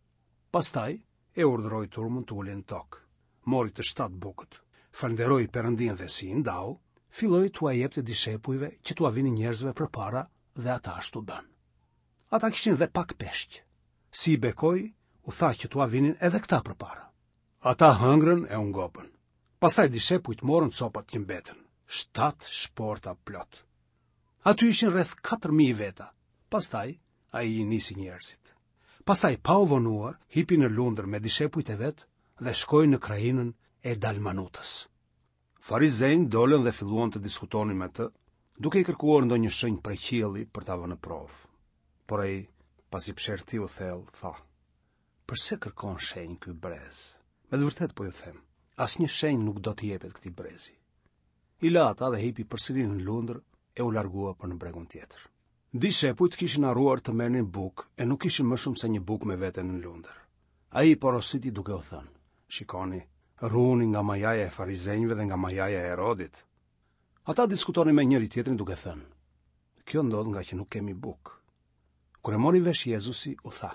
Pastaj e urdhëroi turmën të ulej në tokë. Mori të shtatë bukët, falënderoi Perëndinë dhe si i ndau, filloi t'ua jepte dishepujve që t'ua vinin njerëzve përpara dhe ata ashtu bënë. Ata kishin dhe pak peshq. Si i bekoi, u tha që t'ua vinin edhe këta përpara. Ata hëngrën e u ngopën. Pastaj dishepujt morën copat që mbetën, shtatë shporta plot. Aty ishin rreth 4000 veta. Pastaj ai i nisi njerëzit. Pastaj pa u vonuar, hipi në lundër me dishepujt e vet dhe shkoi në krahinën e Dalmanutës. Farizenjtë dolën dhe filluan të diskutonin me të, duke i kërkuar ndonjë shenjë prej qielli për ta vënë në provë. Por ai, pasi psherëtiu thellë, tha: Përse kërkon shenjë ky brez? Me të vërtetë po ju them, asnjë shenjë nuk do t'i jepet këtij brezi. I la ata dhe hipi përsëri në lundër e u largua për në bregun tjetër. Dishepujt kishin harruar të merrnin bukë e nuk kishin më shumë se një bukë me vete në lundër. Ai i porositi duke u thënë, shikoni, ruhuni nga majaja e farizenjve dhe nga majaja e Herodit. Ata diskutonin me njëri-tjetrin duke thënë, kjo ndodh ngaqë nuk kemi bukë. Kur e mori vesh Jezusi, u tha,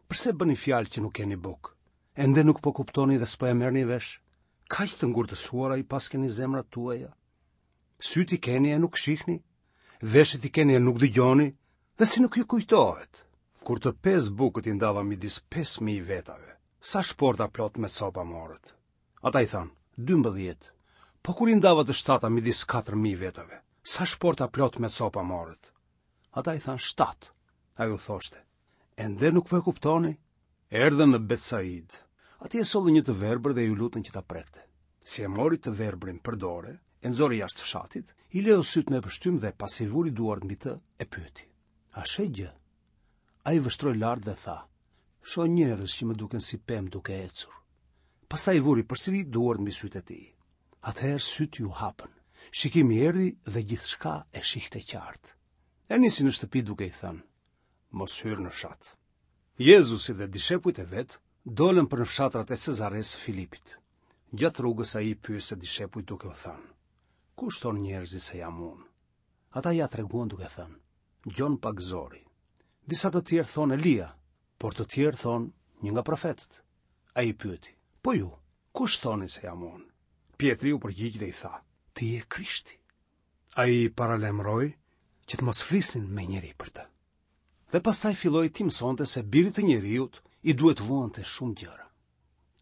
përse bëni fjalë që nuk keni bukë? Ende nuk po kuptoni dhe s'po e merrni vesh? Kaq të ngurtësuara i paskeni zemrat tuaja? Sytë i keni e nuk shihni? Veshët i keni e nuk dëgjoni? Dhe si nuk ju kujtohet? Kur të pesë bukët i ndava midis 5000 vetave, sa shporta plot me copa morët? Ata i thanë, 12. Po kur i ndava të shtata midis 4000 vetave, sa shporta plot me copa morët? Ata i thanë, 7. Ai u thoshte, ende nuk po e kuptoni? Erdhën në Betsaidë. Atje sollën një të verbër dhe iu lutën që ta prekte. Si e mori të verbrin për dore, e nxori jashtë fshatit, i leu sytë me pështymë dhe pasi vuri duart mbi të, e pyeti. A sheh gjë? Ai vështroi lart dhe tha, shoh njerëz që më duken si pemë duke ecur. Pastaj i vuri përsëri duart mbi sytë e tij. Atëherë sytë iu hapën. Shikimi erdhi dhe gjithçka e shihte qartë. E nisi në shtëpi duke i thënë, mos hyr në fshat. Jezusi dhe dishepujt e vet dolën për në fshatrat e Cezaresë së Filipit. Gjatë rrugës ai i pyeste dishepujt duke u thënë: Kush thonë njerëzit se jam unë? Ata ia treguan duke thënë: Gjon Pagëzori. Disa të tjerë thonë Elia, por të tjerë thonë një nga profetët. Ai i pyeti: Po ju, kush thoni se jam unë? Pjetri u përgjigj dhe i tha: Ti je Krishti. Ai i paralajmëroi që të mos flisnin me njeri për të. Dhe pastaj filloi t'i mësonte se birit të njeriut i duhet të vuante shumë gjëra.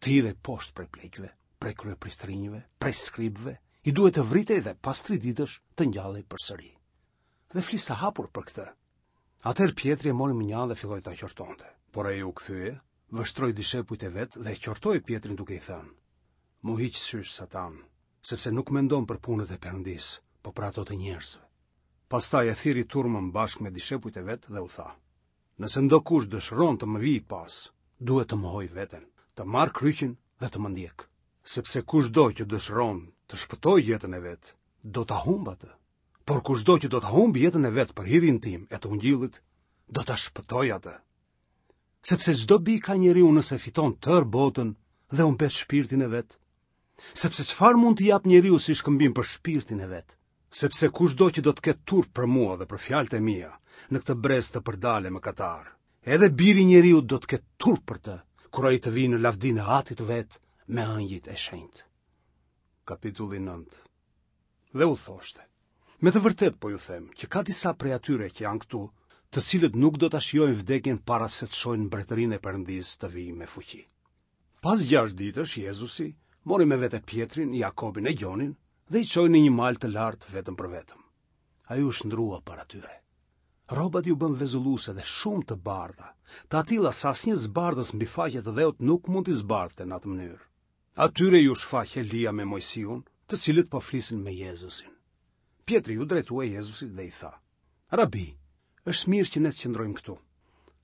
Të hidhej poshtë prej pleqve, prej kryepriftërinjve, prej skribëve, i duhet të vritej dhe pas tri ditësh të ngjallej përsëri. Dhe fliste hapur për këtë. Atëherë Pjetri e mori mënjanë dhe filloi ta qortonte. Por ai u kthye, vështroi dishepujt e vet dhe e qortoi Pjetrin duke i thënë: M'u hiq sysh Satan, sepse nuk mendon për punët e Perëndisë, po për ato të njerëzve. Pastaj e thirri turmën bashkë me dishepujt e vet dhe u tha: Nëse ndokush dëshiron të më vijë pas, duhet të mohojë veten, të marrë kryqin dhe të më ndjekë. Sepse kushdo që dëshiron të shpëtojë jetën e vet, do ta humbë atë. Por kushdo që do ta humbë jetën e vet për hirin tim e të ungjillit, do ta shpëtojë atë. Sepse ç'dobi ka njeriu nëse fiton tërë botën dhe humbet shpirtin e vet? Sepse çfarë mund të japë njeriu si shkëmbim për shpirtin e vet? Sepse kushdo që do të ketë turp për mua dhe për fjalët e mia, në këtë brez të përdalë e mëkatar, edhe biri i njeriut do të ketë turp për të, kur ai të vijë në lavdinë e Atit të vet me engjëjt e shenjtë. Kapitulli 9. Dhe u thoshte: Me të vërtetë po ju them që ka disa prej atyre që janë këtu, të cilët nuk do ta shijojnë vdekjen para se të shohin mbretërinë e Perëndisë të vijë me fuqi. Pas gjashtë ditësh Jezusi mori me vete Pjetrin, Jakobin e Gjonin dhe i çoi në një mal të lartë vetëm për vetëm. Ai u shndërrua para tyre. Rrobat iu bënë vezulluese dhe shumë të bardha, të atilla sa asnjë zbardhës mbi faqe të dheut nuk mund t'i zbardhte në atë mënyrë. Atyre iu shfaq Elia me Moisiun, të cilët po flisnin me Jezusin. Pjetri iu drejtua Jezusit dhe i tha: Rabi, është mirë që ne të qëndrojmë këtu.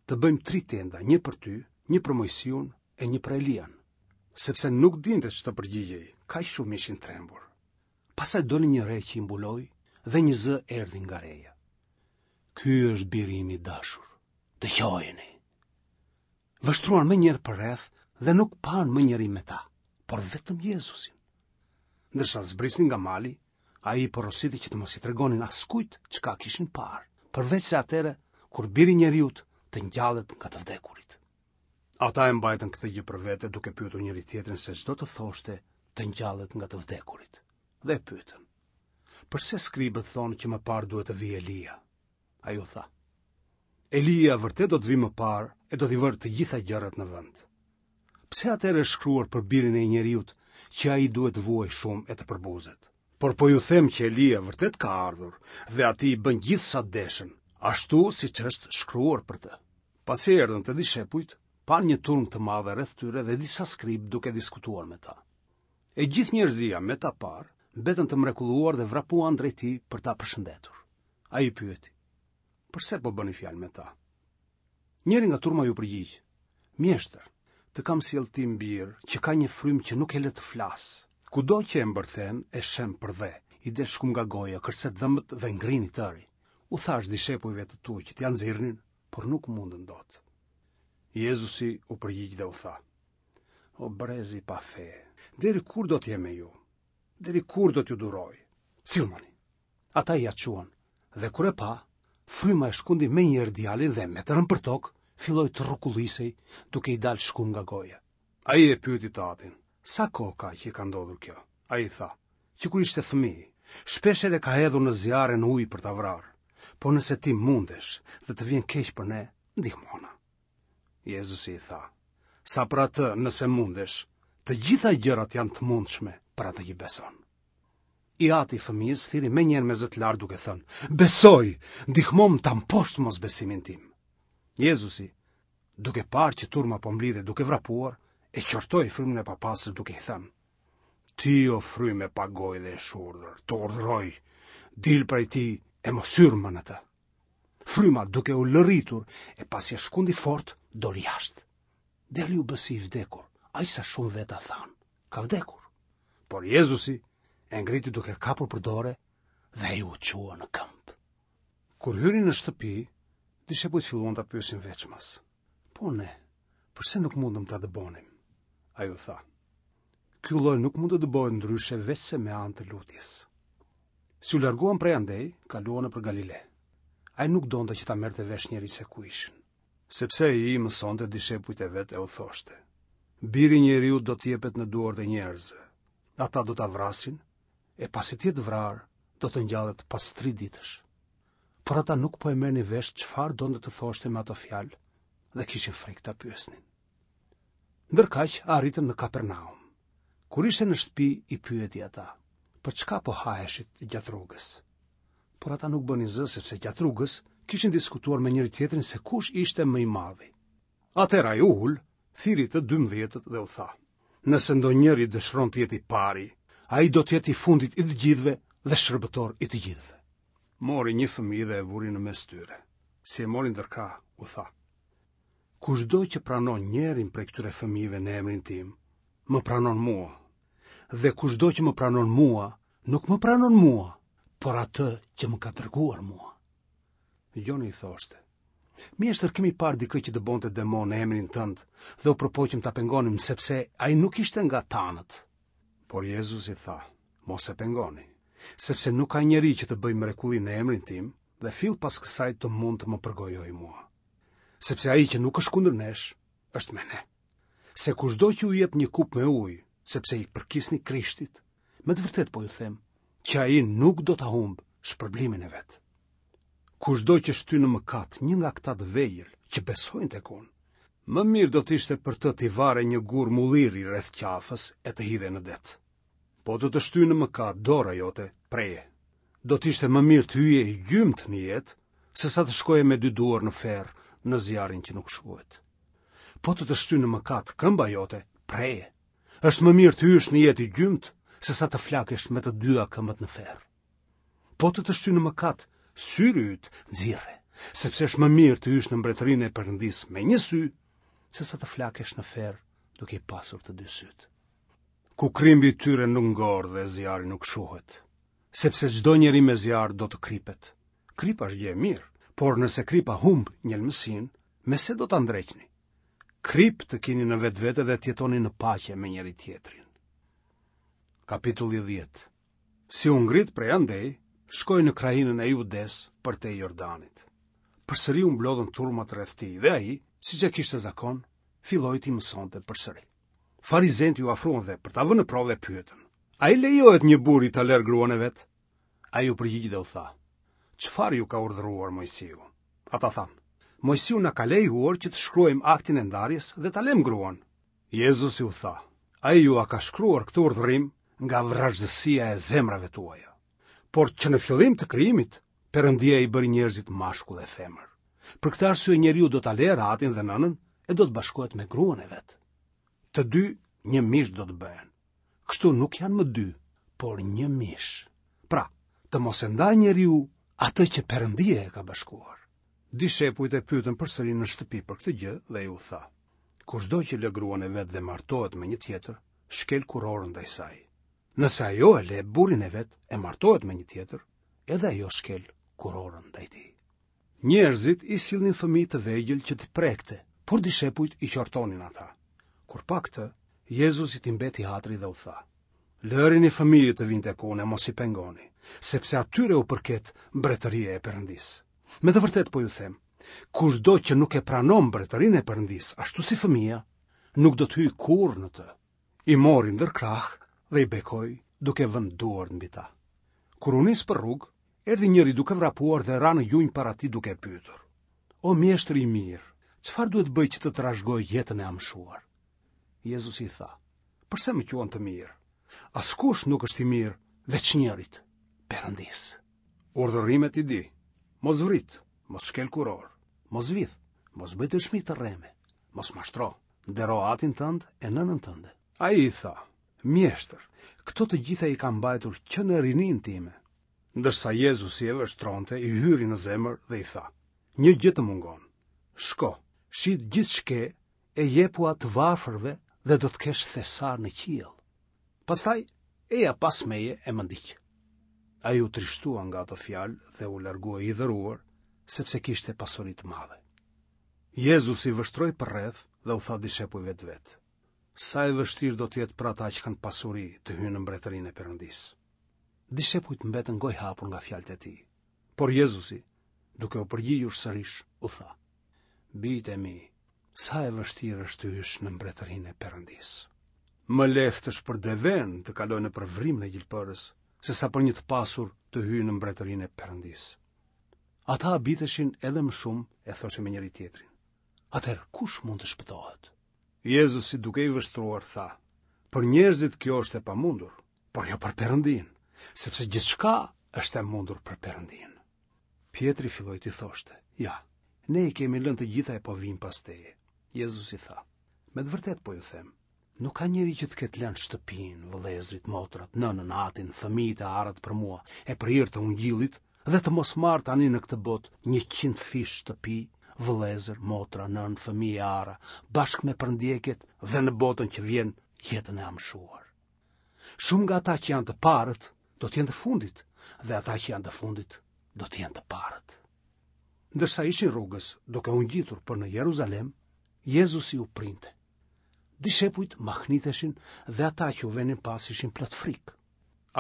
Të bëjmë tri tenda, një për ty, një për Moisiun e një për Elian, sepse nuk dinte ç'të përgjigjej, kaq shumë ishin trembur. Pastaj doli një re që i mbuloi dhe një zë erdhi nga reja. Ky është biri im i dashur. Dëgjojeni. Vështruan menjëherë përreth dhe nuk panë më njeri me ta, por vetëm Jezusin. Ndërsa zbrisnin nga mali, ai i porositi që të mos i tregonin askujt çka kishin parë, përveçse atëherë kur biri i njeriut të ngjallet nga të vdekurit. Ata e mbajtën këtë gjë për vete duke pyetur njëri-tjetrin se ç'do të thoshte të ngjallet nga të vdekurit. Dhe e pyetën: Përse skribët thonë që më parë duhet të vijë Elia? Ai u tha: Elia vërtet do të vijë më parë e do t'i vërë të gjitha gjërat në vend. Pse atëherë është shkruar për birin e njeriut që ai duhet të vuajë shumë e të përbuzet? Por po ju them që Elia vërtet ka ardhur dhe atij i bënë gjithë sa deshën, ashtu siç është shkruar për të. Pasi erdhën te dishepujt, panë një turmë të madhe rreth tyre dhe disa skribë duke diskutuar me ta. E gjithë njerëzia me ta parë, mbetën të mrekulluar dhe vrapuan drejt tij për ta përshëndetur. Ai i pyeti: "Përse po bëni fjalë me ta?" Njëri nga turma iu përgjigj: "Mjeshtër, të kam sjellë tim bir, që ka një frymë që nuk e lë të flasë. Kudo që e mbërthen, e shemb përdhe. I del shkumë nga goja, kërcet dhëmbët dhe ngrin i tëri. U thashë dishepujve të tu që t'ia nxirrnin, por nuk mundën dot. Jezusi u përgjigj dhe u tha: O brez i pafe, deri kur do të jem me ju? Deri kur do t'ju duroj? Sillmani. Ata ia çuan, dhe kur e pa, fryma e shkundi menjëherë djalin dhe me të rënë përtokë, filloi të rrokullisej duke i dalë shkumë nga goja. Ai e pyeti të atin, sa kohë ka që i ka ndodhur kjo? Ai i tha, që kur ishte fëmijë, shpeshherë e ka hedhur në zjarr e në ujë për ta vrarë. Por nëse ti mundesh dhe të vjen keq për ne, ndihmona. Jezusi i tha, sa për atë nëse mundesh, të gjitha gjërat janë të mundshme për atë që beson. I ati i fëmijës thirri menjëherë me zë të lartë duke thënë, besoj, ndihmomë ta mposht mosbesimin tim. Jezusi, duke parë që turma po mblidhej duke vrapuar, e qortoi frymën e papastër duke i thënë, Ti o frymë e pagojë dhe e shurdhër, të urdhëroj, dil prej tij e mos hyr më në të. Fryma duke ulëritur e pasi e shkundi fort, doli jashtë. Djali u bë si i vdekur, aq sa shumë veta thanë, ka vdekur. Por Jezusi e ngriti duke e kapur për dore dhe ai u çua në këmbë. Kur hyri në shtëpi, dishepujt filluan ta pyesin veçmas. Po ne, përse nuk mundëm ta dëbonim? Ai u tha, ky lloj nuk mund të dëbohet ndryshe veçse me anë të lutjes. Si u larguan prej andej, kaluan nëpër Galile. Ai nuk donte që ta merrte vesh njeri se ku ishin. Sepse ai i mësonte dishepujt e vet e u thoshte, Biri i njeriut do të jepet në duart e njerëzve. Ata do ta vrasin, e pasi të jetë vrarë, do të ngjallet pas tri ditësh. Por ata nuk po e merrnin vesh çfarë donte të thoshte me ato fjalë dhe kishin frikë ta pyesnin. Ndërkaq arritën në Kapernaum. Kur ishte në shtëpi i pyeti ata, për çka po haheshit gjatë rrugës? Por ata nuk bënin zë sepse gjatë rrugës kishin diskutuar me njëri-tjetrin se kush ishte më i madhi. Atëherë ai u ul, thirri të dymbëdhjetët dhe u tha: Nëse ndonjëri dëshiron të jetë i pari, ai do të jetë i fundit i të gjithëve dhe shërbëtor i të gjithëve. Mori një fëmijë dhe e vuri në mes tyre. Si e mori ndër krahë, u tha: Kushdo që pranon njërin prej këtyre fëmijëve në emrin tim, më pranon mua. Dhe kushdo që më pranon mua, nuk më pranon mua, por atë që më ka dërguar mua. Gjoni i thoshte, Mjeshtër kemi parë dikë që dëbonte demonë në emrin tënd dhe u përpoqëm ta pengonim sepse ai nuk ishte nga tanët. Por Jezusi tha, mos e pengoni, sepse nuk ka njeri që të bëjë mrekulli në emrin tim dhe fill pas kësaj të mund të më përgojojë mua. Sepse ai që nuk është kundër nesh, është me ne. Se kushdo që ju jep një kupë me ujë, sepse i përkisni Krishtit, me të vërtetë po ju them, që ai nuk do ta humbë shpërblimin e vet. Kushdo që shtyn në mëkat një nga këta të vegjël që besojnë tek unë, më mirë do të ishte për të t'i varej një gur mulliri rreth qafës e të hidhej në det. Po të të shtyjë në mëkat dora jote, preje. Do të ishte më mirë të hyje i gjymtë në jetë, sesa të shkoje me dy duar në ferr në zjarrin që nuk shuhet. Po të të shtyjë në mëkat këmba jote, preje. Është më mirë të hysh në jetë i gjymtë, sesa të flakesh me të dyja këmbët në ferr. Po të të shtyjë në mëkat syri yt, nxirre, sepse është më mirë të hysh në mbretërinë e Perëndisë me një sy, sesa të flakesh në ferr duke i pasur të dy sytë. Ku krimbi i tyre nuk ngordh dhe zjarri nuk shuhet, sepse çdo njeri me zjarr do të kripet. Kripa është gjë e mirë, por nëse kripa humb njelmësinë, me se do ta ndreqni? Kripë të kini në vetvete dhe të jetoni në paqe me njëri-tjetrin. Kapitulli 10 Si u ngrit prej andej, shkoi në krahinën e Judesë përtej Jordanit. Përsëri u mblodhën turmat rreth tij dhe ai, siç e kishte zakon, filloi t'i mësonte përsëri. Farizenjtë iu afruan dhe për ta vënë në provë e pyetën: A i lejohet një burri ta lërë gruan e vet? Ai u përgjigj dhe u tha: Çfarë ju ka urdhëruar Moisiu? Ata thanë: Moisiu na ka lejuar që të shkruajmë aktin e ndarjes dhe ta lëmë gruan. Jezusi u tha: Ai jua ka shkruar këtë urdhërim nga vrazhdësia e zemrave tuaja. Por që në fillim të krijimit, Perëndia i bëri njerëzit mashkull e femër. Për këtë arsye njeriu do ta lërë atin dhe nënën e do të bashkohet me gruan e vet. Të dy një mish do të bëhen. Kështu nuk janë më dy, por një mish. Pra, të mos e ndajë njeriu atë që Perëndia e ka bashkuar. Dishepujt e pyetën përsëri në shtëpi për këtë gjë dhe ai u tha: Kushdo që lë gruan e vet dhe martohet me një tjetër, shkel kurorën ndaj saj. Nëse ajo e le burrin e vet e martohet me një tjetër, edhe ajo shkel kurorën ndaj tij. Njerëzit i sillnin fëmijë të vegjël që t'i prekte, por dishepujt i qortonin ata. Kur pa këtë, Jezusit i mbeti hatri dhe u tha: Lërini fëmijët të vijnë tek unë e mos i pengoni, sepse atyre u përket mbretëria e Perëndisë. Me të vërtetë po ju them, kushdo që nuk e pranon mbretërinë e Perëndisë, ashtu si fëmija, nuk do të hyjë kurrë në të. I mori ndër krahë dhe i bekoi duke vënë duart mbi ta. Kur u nis për rrugë, erdhi njëri duke vrapuar dhe ra në gjunjë para tij duke e pyetur. O mjeshtër i mirë, çfarë duhet të bëj që të trashëgoj jetën e amshuar? Jezusi i tha, përse më quan të mirë? Askush nuk është i mirë veç njërit, Perëndisë. Urdhërimet i di, mos vrit, mos shkel kurorë, mos vidh, mos bëj dëshmi të rreme, mos mashtro, ndero atin tënd e nënën tënde. Ai i tha, mjeshtër, këto të gjitha i kam mbajtur që në rininë time. Ndërsa Jezusi e vështronte, i hyri në zemër dhe i tha, një gjë të mungon. Shko, shit gjithë ç'ke e jepua të varfërve dhe do të kesh thesar në qiell. Pastaj, eja pas meje e më ndiq. Ai u trishtua nga ato fjalë dhe u largua i hidhëruar, sepse kishte pasuri të madhe. Jezusi vështroi përreth dhe u tha dishepujve të vet: Sa e vështirë do të jetë për ata që kanë pasuri të hyjnë në mbretërinë e Perëndisë. Dishepujt mbetën gojëhapur nga fjalët e tij. Por Jezusi, duke u përgjigjur sërish, u tha: Bijtë e mi, sa e vështirë është të hysh në mbretërinë e Perëndisë. Më lehtë është për devenë të kalojë nëpër vrimën e gjilpërës, sesa për një të pasur të hyjë në mbretërinë e Perëndisë. Ata habiteshin edhe më shumë e thoshin me njëri-tjetrin. Atëherë kush mund të shpëtohet? Jezusi duke i vështruar tha: Për njerëzit kjo është e pamundur, por jo për Perëndinë, sepse gjithçka është e mundur për Perëndinë. Pjetri filloi t'i thoshte: Ja, ne i kemi lënë të gjitha e po vijmë pas teje. Jezusi tha: Me të vërtetë po ju them, Nuk ka njeri që të ketë lënë shtëpinë, vëllezërit, motrat, nënën, atin, fëmijët e arat për mua e për hir të ungjillit dhe të mos marrë tani në këtë botë njëqindfish shtëpi, vëllezër, motra, nënë, fëmijë e ara, bashkë me përndjekjet dhe në botën që vjen jetën e amshuar. Shumë nga ata që janë të parët do të jenë të fundit dhe ata që janë të fundit do të jenë të parët. Ndërsa ishin rrugës duke u ngjitur për në Jeruzalem, Jezusi u printe. Dishepujt mahniteshin dhe ata që u venin pas ishin plot frikë.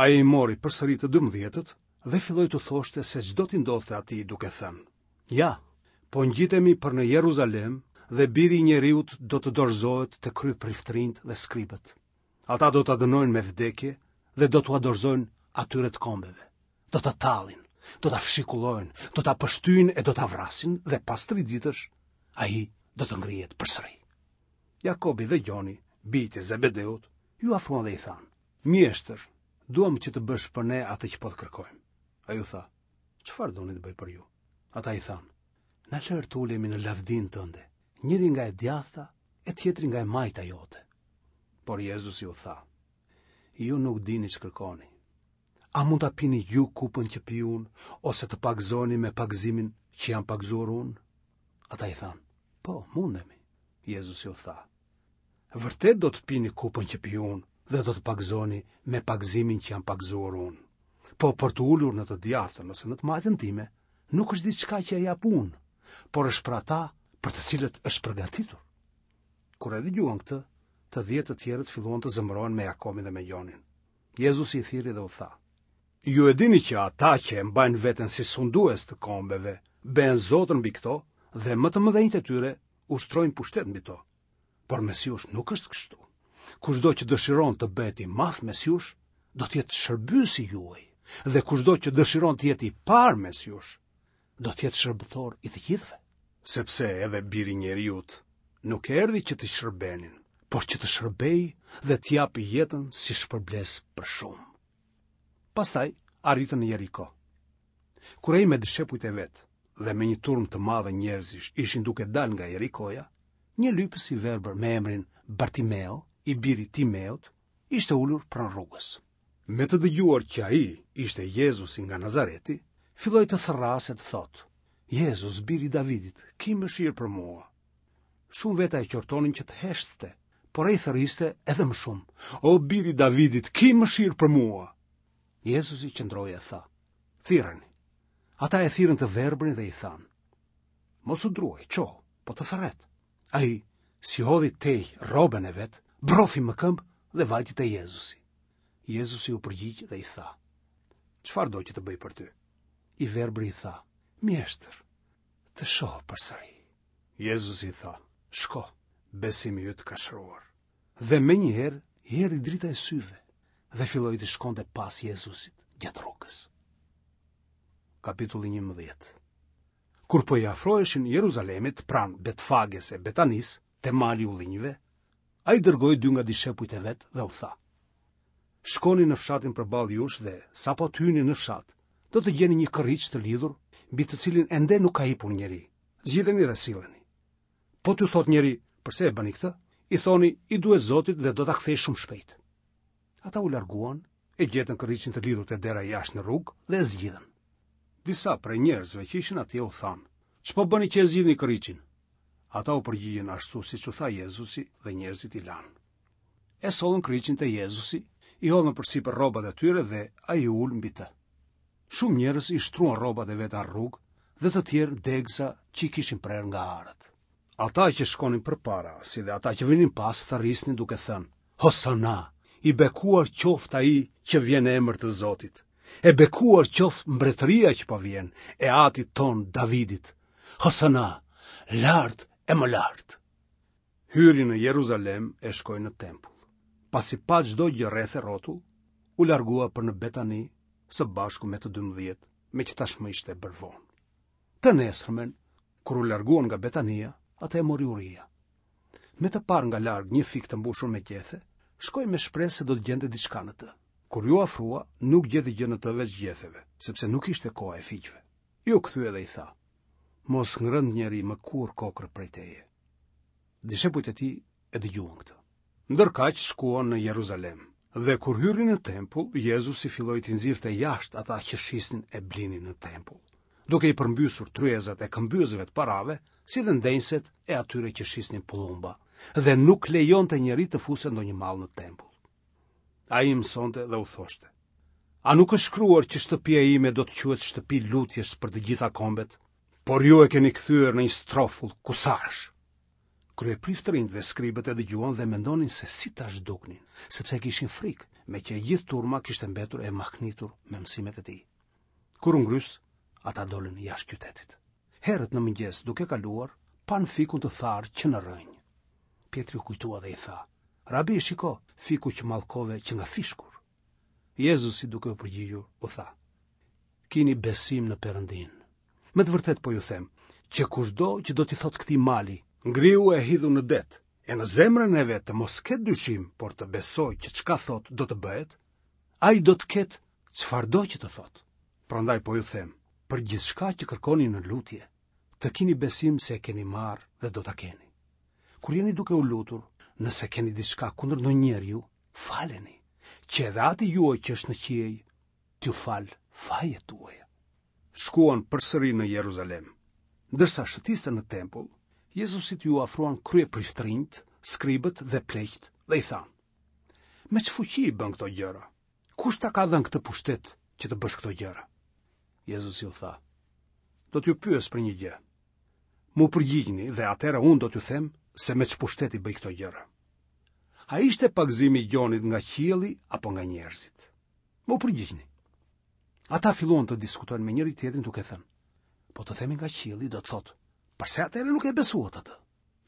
Ai i mori përsëri të dymdhjetët dhe filloi t'u thoshte se ç'do t'i ndodhte atij duke thënë: Ja, po ngjitemi për në Jeruzalem dhe biri i njeriut do të dorëzohet te kryepriftërinjtë dhe skribët. Ata do ta dënojnë me vdekje dhe do t'ua dorëzojnë atyre të kombeve. Do ta tallin, do ta fshikullojnë, do ta pështyjnë e do ta vrasin dhe pas tri ditësh ai do të ngrihet përsëri. Jakobi dhe Gjoni, bijtë e Zebedeut, iu afruan dhe i thanë: Mjeshtër, duam që të bësh për ne atë që po të kërkojmë. Ai u tha: Çfarë doni të bëj për ju? Ata i thanë: Na lër të ulemi në lavdinë tënde, njëri nga e djathta e tjetri nga e majta jote. Por Jezusi u tha: Ju nuk dini ç'kërkoni. A mund ta pini ju kupën që pi unë, ose të pagëzoheni me pagëzimin që jam pagëzuar unë? Ata i thanë, po, mundemi. Jezusi u tha, vërtet do të pini kupën që pi unë dhe do të pagëzoheni me pagëzimin që jam pagëzuar unë. Po për t'u ulur në të djathtën ose në të majtën time, nuk është diçka që e jap unë, por është për ata për të cilët është përgatitur. Kur e dëgjuan këtë, të dhjetë të tjerët filluan të zemërohen me Jakobin dhe me Gjonin. Jezusi i thirri dhe u tha: Ju e dini që ata që e mbajnë veten si sundues të kombeve, bëhen zotër mbi këto dhe më të mëdhenjtë e tyre ushtrojnë pushtet mbi to. Por mes jush nuk është kështu. Kushdo që dëshiron të bëhet i madh mes jush, do të jetë shërbyesi juaj, dhe kushdo që dëshiron të jetë i parë mes jush, do të jetë shërbëtor i të gjithëve. Sepse edhe biri i njeriut nuk erdhi që t'i shërbenin, por që të shërbejë dhe të japë jetën si shpërblesë për shumë. Pastaj arritën në Jeriko. Kur ai me dishepujt e vet dhe me një turmë të madhe njerëzish ishin duke dalë nga Jerikoja, një lypës i verbër me emrin Bartimeo, i biri i Timeut, ishte ulur pranë rrugës. Me të dëgjuar që ai ishte Jezusi nga Nazareti, filloi të thërrasë e të thotë: Jezus, biri i Davidit, ki mëshirë për mua. Shumë veta e qortonin që të heshtte, Por ai thërriste edhe më shumë, O bir i Davidit, ki mëshirë për mua! Jezusi qëndroi e tha, Thirreni. Ata e thirrën të verbrin dhe i thanë, Mos u druaj, çohu, po të thërret. Ai, si hodhi tej rrobën e vet, brofi më këmbë dhe vajti te Jezusi. Jezusi u përgjigj dhe i tha, Çfarë do që të bëj për ty? I verbri i tha, Mjeshtër, të shoh përsëri. Jezusi i tha, Shko, besimi yt të ka shëruar. Dhe menjëherë i erdhi drita e syve dhe filloi të shkonte pas Jezusit gjatë rrugës. Kapitulli 11 Kur po i afroheshin Jeruzalemit pranë Betfages e Betanisë, te mali i ullinjve, ai dërgoi dy nga dishepujt e vet dhe u tha: Shkoni në fshatin përballë jush dhe sapo të hyni në fshat, do të gjeni një kërriç të lidhur mbi të cilin ende nuk ka hipur njeri. Zgjidheni dhe silleni. Po t'ju thotë njeri, përse e bëni këtë? I thoni, i duhet Zotit dhe do ta kthejë shumë shpejt. Ata u larguan, e gjetën kërriçin të lidhur te dera jashtë në rrugë dhe e zgjidhën. Disa prej njerëzve që ishin atje u thanë, ç'po bëni që e zgjidhni kërriçin? Ata u përgjigjën ashtu siç u tha Jezusi dhe njerëzit i lanë. E sollën kërriçin te Jezusi, i hodhën përsipër rrobat e tyre dhe ai u ul mbi të. Shumë njerëz i shtruan rrobat e veta në rrugë dhe të tjerë degëza që i kishin prerë nga arat. Ata që shkonin përpara, si dhe ata që vinin pas, thërrisnin duke thënë, Hosana, i bekuar qoftë ai që vjen në emër të Zotit. E bekuar qoftë mbretëria që po vjen, e atit tonë Davidit. Hosana, lart e më lart. Hyri në Jeruzalem e shkoi në tempull. Pasi pa çdo gjë rreth e rrotull, u largua për në Betani së bashku me të 12, meqë tashmë ishte bërë vonë. Të nesërmen, kur u larguan nga Betania, atë e mori uria. Me të parë nga larg një fik të mbushur me gjethe, shkoi me shpresë se do të gjente diçka në të. Kur iu afrua, nuk gjeti gjë në të veç gjetheve, sepse nuk ishte koha e fiqve. Iu kthye dhe i tha: Mos ngrëntë njeri më kurrë kokrra prej teje. Dishepujt e tij e dëgjuan këtë. Ndërkaq shkuan në Jeruzalem. Dhe kur hyri në tempull, Jezusi filloi t'i nxirrte jashtë ata që shisnin e blinin në tempull, duke i përmbysur tryezat e këmbyesve të parave, si dhe ndenjëset e atyre që shisnin pëllumba, dhe nuk lejonte njeri të fuste ndonjë mall në tempull. Ai i mësonte dhe u thoshte: A nuk është shkruar që shtëpia ime do të quhet shtëpi lutjesh për të gjitha kombet? Por ju e keni kthyer në një strofull kusarësh. Kryepriftërinjtë dhe skribët e dëgjuan dhe mendonin se si ta zhduknin, sepse kishin frikë, meqë e gjithë turma kishte mbetur e mahnitur me mësimet e tij. Kur u ngrys, ata dolën jashtë qytetit. Herët në mëngjes, duke kaluar, panë fikun të tharë që në rrënjë. Pjetri u kujtua dhe i tha, Rabi, shiko, fiku që mallkove qenka fishkur. Jezusi duke u përgjigjur, u tha, Kini besim në Perëndinë. Me të vërtetë po ju them, që kushdo që do t'i thotë këtij mali, ngrihu e hidhu në det, e në zemrën e vet të mos ketë dyshim, por të besojë që çka thotë do të bëhet, ai do të ketë çfarëdo që të thotë. Prandaj po ju them, për gjithçka që kërkoni në lutje, të kini besim se e keni marrë dhe do ta keni. Kur jeni duke u lutur, nëse keni diçka kundër ndonjë njeriu, faleni, që edhe Ati juaj që është në qiej, t'ju falë fajet tuaja. Shkuan përsëri në Jeruzalem. Ndërsa shëtiste në tempull, Jezusit iu afruan kryepriftërinjtë, skribët dhe pleqtë dhe i thanë: Me ç'fuqi i bën këto gjëra? Kush ta ka dhënë këtë pushtet që të bësh këto gjëra? Jezusi u tha: Do t'ju pyes për një gjë. M'u përgjigjni dhe atëherë unë do t'ju them se me ç'pushtet i bëj këto gjëra. A ishte pagëzimi i Gjonit nga qielli apo nga njerëzit? M'u përgjigjni. Ata filluan të diskutojnë me njëri-tjetrin duke thënë: Po të themi nga qielli do të thotë, përse atëherë nuk e besuat atë?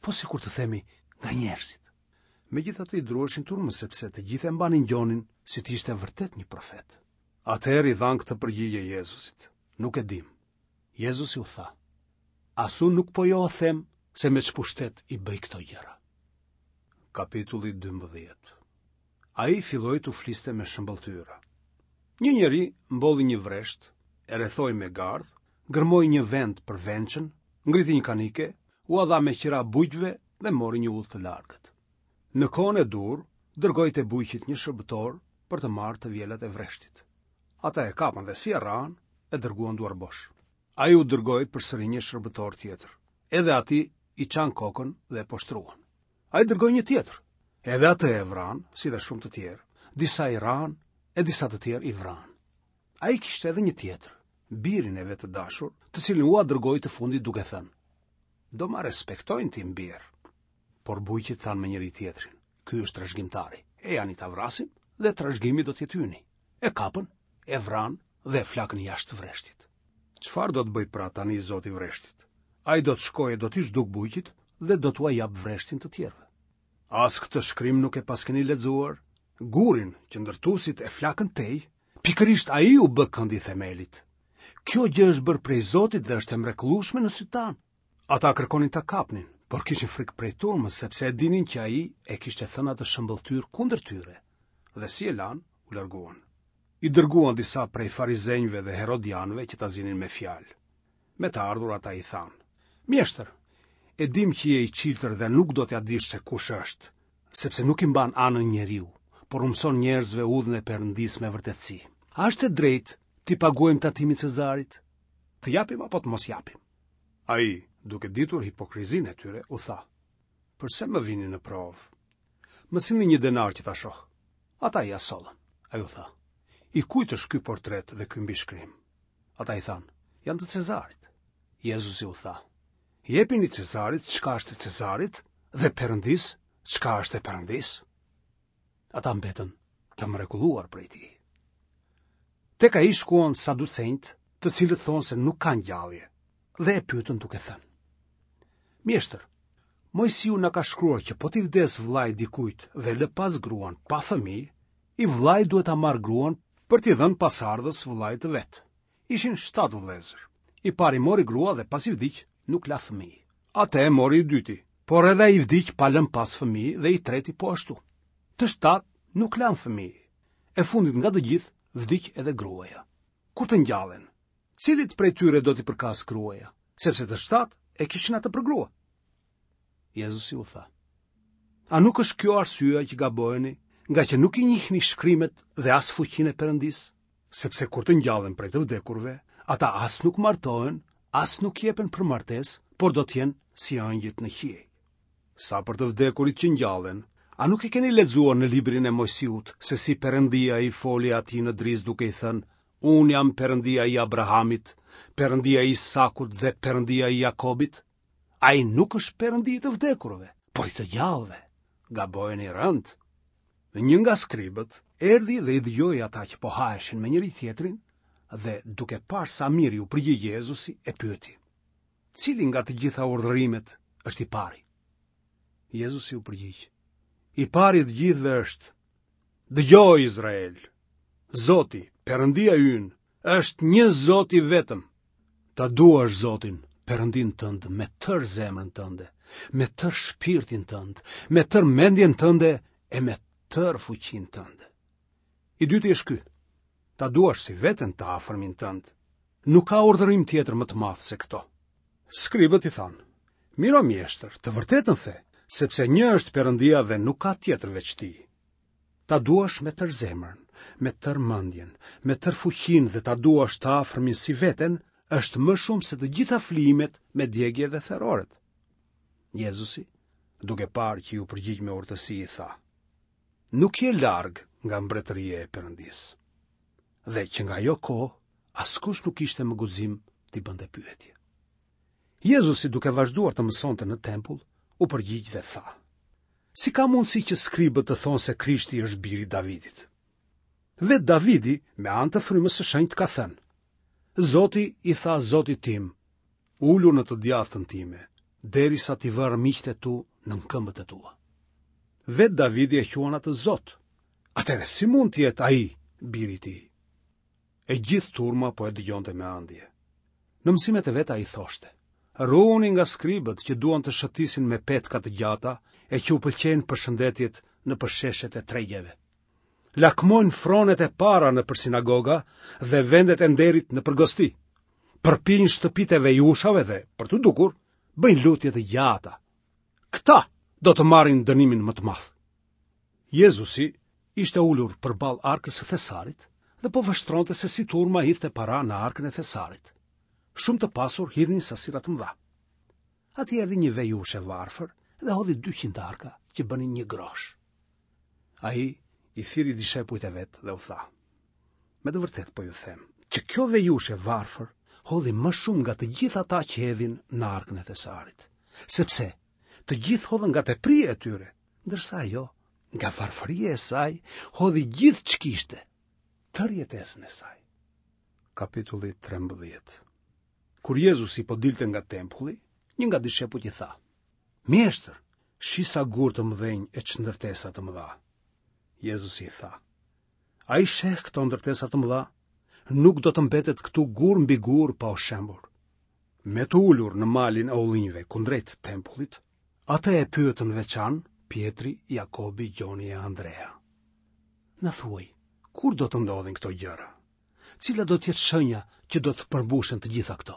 Po sikur të themi nga njerëzit. Megjithatë i druheshin turmës sepse të gjithë e mbanin Gjonin si të ishte vërtet një profet. Atëherë i dhanë këtë përgjigje Jezusit: Nuk e dimë. Jezusi u tha: As unë nuk po jua them se me ç'pushtet i bëj këto gjëra. Kapitulli 12. Ai filloi t'u fliste me shëmbëlltyra. Një njeri mbolli një vresht, e rrethoi me gardh, gërmoi një vend për vençën, ngriti një kanike, ua dha me qira bujqve dhe mori një udhë të largët. Në kohën e duhur, dërgoi te bujqit një shërbëtor për të marrë të vjelat e vreshtit. Ata e kapën dhe si e rrahën, e dërguan duarbosh. Ai u dërgoi përsëri një shërbëtor tjetër. Edhe atij i çanë kokën dhe e poshtëruan. Ai dërgoi një tjetër. Edhe atë e vranë, si dhe shumë të tjerë, disa i rrahën e disa të tjerë i vranë. Ai kishte edhe një tjetër, birin e vet të dashur, të cilin ua dërgoi të fundit duke thënë: Do ma respektojnë tim bir. Por bujqit thanë me njëri-tjetrin: Ky është trashëgimtari. Ejani ta vrasim dhe trashëgimi do të jetë yni. E kapën, e vranë dhe e flakën jashtë vreshtit. Çfarë do të bëjë pra tani zoti i vreshtit? Ai do të shkojë e do t'i zhdukë bujqit dhe do t'ua japë vreshtin të tjerëve. As këtë shkrim nuk e paskeni lexuar? Gurin që ndërtuesit e flakën tej, pikërisht ai u bë këndi i themelit. Kjo gjë është bërë prej Zotit dhe është e mrekullueshme në sytë tanë. Ata kërkonin ta kapnin, por kishin frikë prej turmës sepse e dinin që ai e kishte thënë atë shëmbëlltyrë kundër tyre. Dhe si e lanë, u larguan. I dërguan disa prej farizenjve dhe herodianëve që ta zinin me fjalë. Me të ardhur ata i thanë, Mjeshtër, e dimë që je i çiltër dhe nuk do t'ia dish se kush është, sepse nuk i mban anën njeriu, por u mëson njerëzve udhën e Perëndisë me vërtetësi. A është e drejtë t'i paguajmë tatimin Cezarit? Të japim apo të mos japim? Ai, duke ditur hipokrizinë e tyre, u tha, Përse më vini në provë? Më sillni një denar që ta shoh. Ata ia sollën. Ai u tha, I kujt është ky portret dhe ky mbishkrim? Ata i thanë, janë të Cezarit. Jezusi u tha, jepini Cezarit çka është e Cezarit dhe Perëndisë çka është e Perëndisë. Ata mbetën të mrekulluar prej tij. Tek ai shkuan saducenjtë, të cilët thonë se nuk ka ngjallje, dhe e pyetën duke thënë. Mjeshtër, Moisiu na ka shkruar që po t'i vdesë vëllai dikujt dhe lë pas gruan pa fëmijë, I vëllai duhet ta marrë gruan për t'i dhënë pasardhës vëllait të vet. Ishin shtatë vëllezër. I pari mori grua dhe pasi vdiq, nuk la fëmijë. Atë e mori i dyti, por edhe ai vdiq pa lënë pas fëmijë dhe i treti po ashtu. Të shtatë nuk lanë fëmijë. E fundit nga të gjithë vdiq edhe gruaja. Kur të ngjallen, cilit prej tyre do t'i përkasë gruaja, sepse të shtatë e kishin atë për grua? Jezusi u tha, A nuk është kjo arsyeja që gabojeni, ngaqë nuk i njihni shkrimet dhe as fuqinë e Perëndisë? Sepse kur të ngjallen prej të vdekurve, ata as nuk martohen, as nuk jepen për martesë, por do të jenë si engjëjt në qiej. Sa për të vdekurit që ngjallen, a nuk e keni lexuar në librin e Moisiut se si Perëndia i foli atij në drizë duke i thënë, Unë jam Perëndia i Abrahamit, Perëndia i Isakut dhe Perëndia i Jakobit? Ai nuk është perëndi i të vdekurve, por i të gjallëve. Gabojeni rëndë. Dhe një nga skribët erdhi dhe i dëgjoi ata që po haheshin me njëri-tjetrin dhe duke parë sa mirë iu përgjigj Jezusi e pyeti: Cili nga të gjitha urdhërimet është i pari? Jezusi u përgjigj: I pari i të gjithëve është: Dëgjo Izrael, Zoti, Perëndia ynë, është një Zot i vetëm. Ta duash Zotin, Perëndinë tënd me tërë zemrën tënde, me tërë shpirtin tënd, me tërë mendjen tënde e me tërë fuqinë tënde. I dyti është ky. Ta duash si veten të afërmin tënd. Nuk ka urdhërim tjetër më të madh se këto. Skribët i thanë: Mirë o mjeshtër, të vërtetën the, sepse një është Perëndia dhe nuk ka tjetër veç tij. Ta duash me tërë zemrën, me tërë mendjen, me tërë fuqinë dhe ta duash të afërmin si veten, është më shumë se të gjitha flijimet me djegie dhe theroret. Jezusi, duke parë që iu përgjigj me urtësi, i tha: Nuk je larg nga mbretëria e Perëndisë. Dhe që nga ajo kohë, askush nuk kishte më guxim t'i bënte pyetje. Jezusi duke vazhduar të mësonte në tempull, u përgjigj dhe tha: Si ka mundësi që skribët të thonë se Krishti është biri i Davidit? Vetë Davidi me anë të frymës së shenjtë ka thënë: Zoti i tha Zotit tim, ulu në të djathtën time, derisa t'i vë armiqtë e tu nën këmbët e tua. Vetë Davidi e quan atë Zot. Atëherë si mund të jetë ai biri i tij? E gjithë turma po e dëgjonte me ëndje. Në mësimet e veta ai thoshte: Ruhuni nga skribët që duan të shëtisin me petka të gjata e që u pëlqejnë përshëndetjet nëpër sheshet e tregjeve. Lakmojnë fronet e para nëpër sinagoga dhe vendet e nderit nëpër gosti. Përpijnë shtëpitë e vejushave dhe, për t'u dukur, bëjnë lutje të gjata. Këta do të marrin dënimin më të madh. Jezusi ishte ulur përballë arkës së thesarit dhe po vështronte se si turma hidhte para në arkën e thesarit. Shumë të pasur hidhnin sasira të mëdha. Aty erdhi një vejushë e varfër dhe hodhi 200 arka që bënin një grosh. Ai i thirri dishepujt e vet dhe u tha: Me të vërtetë po ju them, që kjo vejushë e varfër hodhi më shumë nga të gjithë ata që hedhin në arkën e thesarit, sepse të gjithë hodhën nga tepria e tyre, ndërsa ajo nga varfëria e saj hodhi gjithë ç'kishte, tërë jetesën e saj. Kapitulli 13 Kur Jezusi po dilte nga tempulli, një nga dishepujt i tha: Mjeshtër, shih sa gurë të mëdhenj e ç'ndërtesa të mëdha. Jezusi i tha: A i sheh këto ndërtesa të mëdha? Nuk do të mbetet këtu gur mbi gur pa u shembur. Me të ulur në malin e ullinjve kundrejt tempullit, atë e pyetën veçan Pjetri, Jakobi, Gjoni e Andrea. Na thuaj, kur do të ndodhin këto gjëra? Cila do të jetë shenja që do të përmbushen të gjitha këto?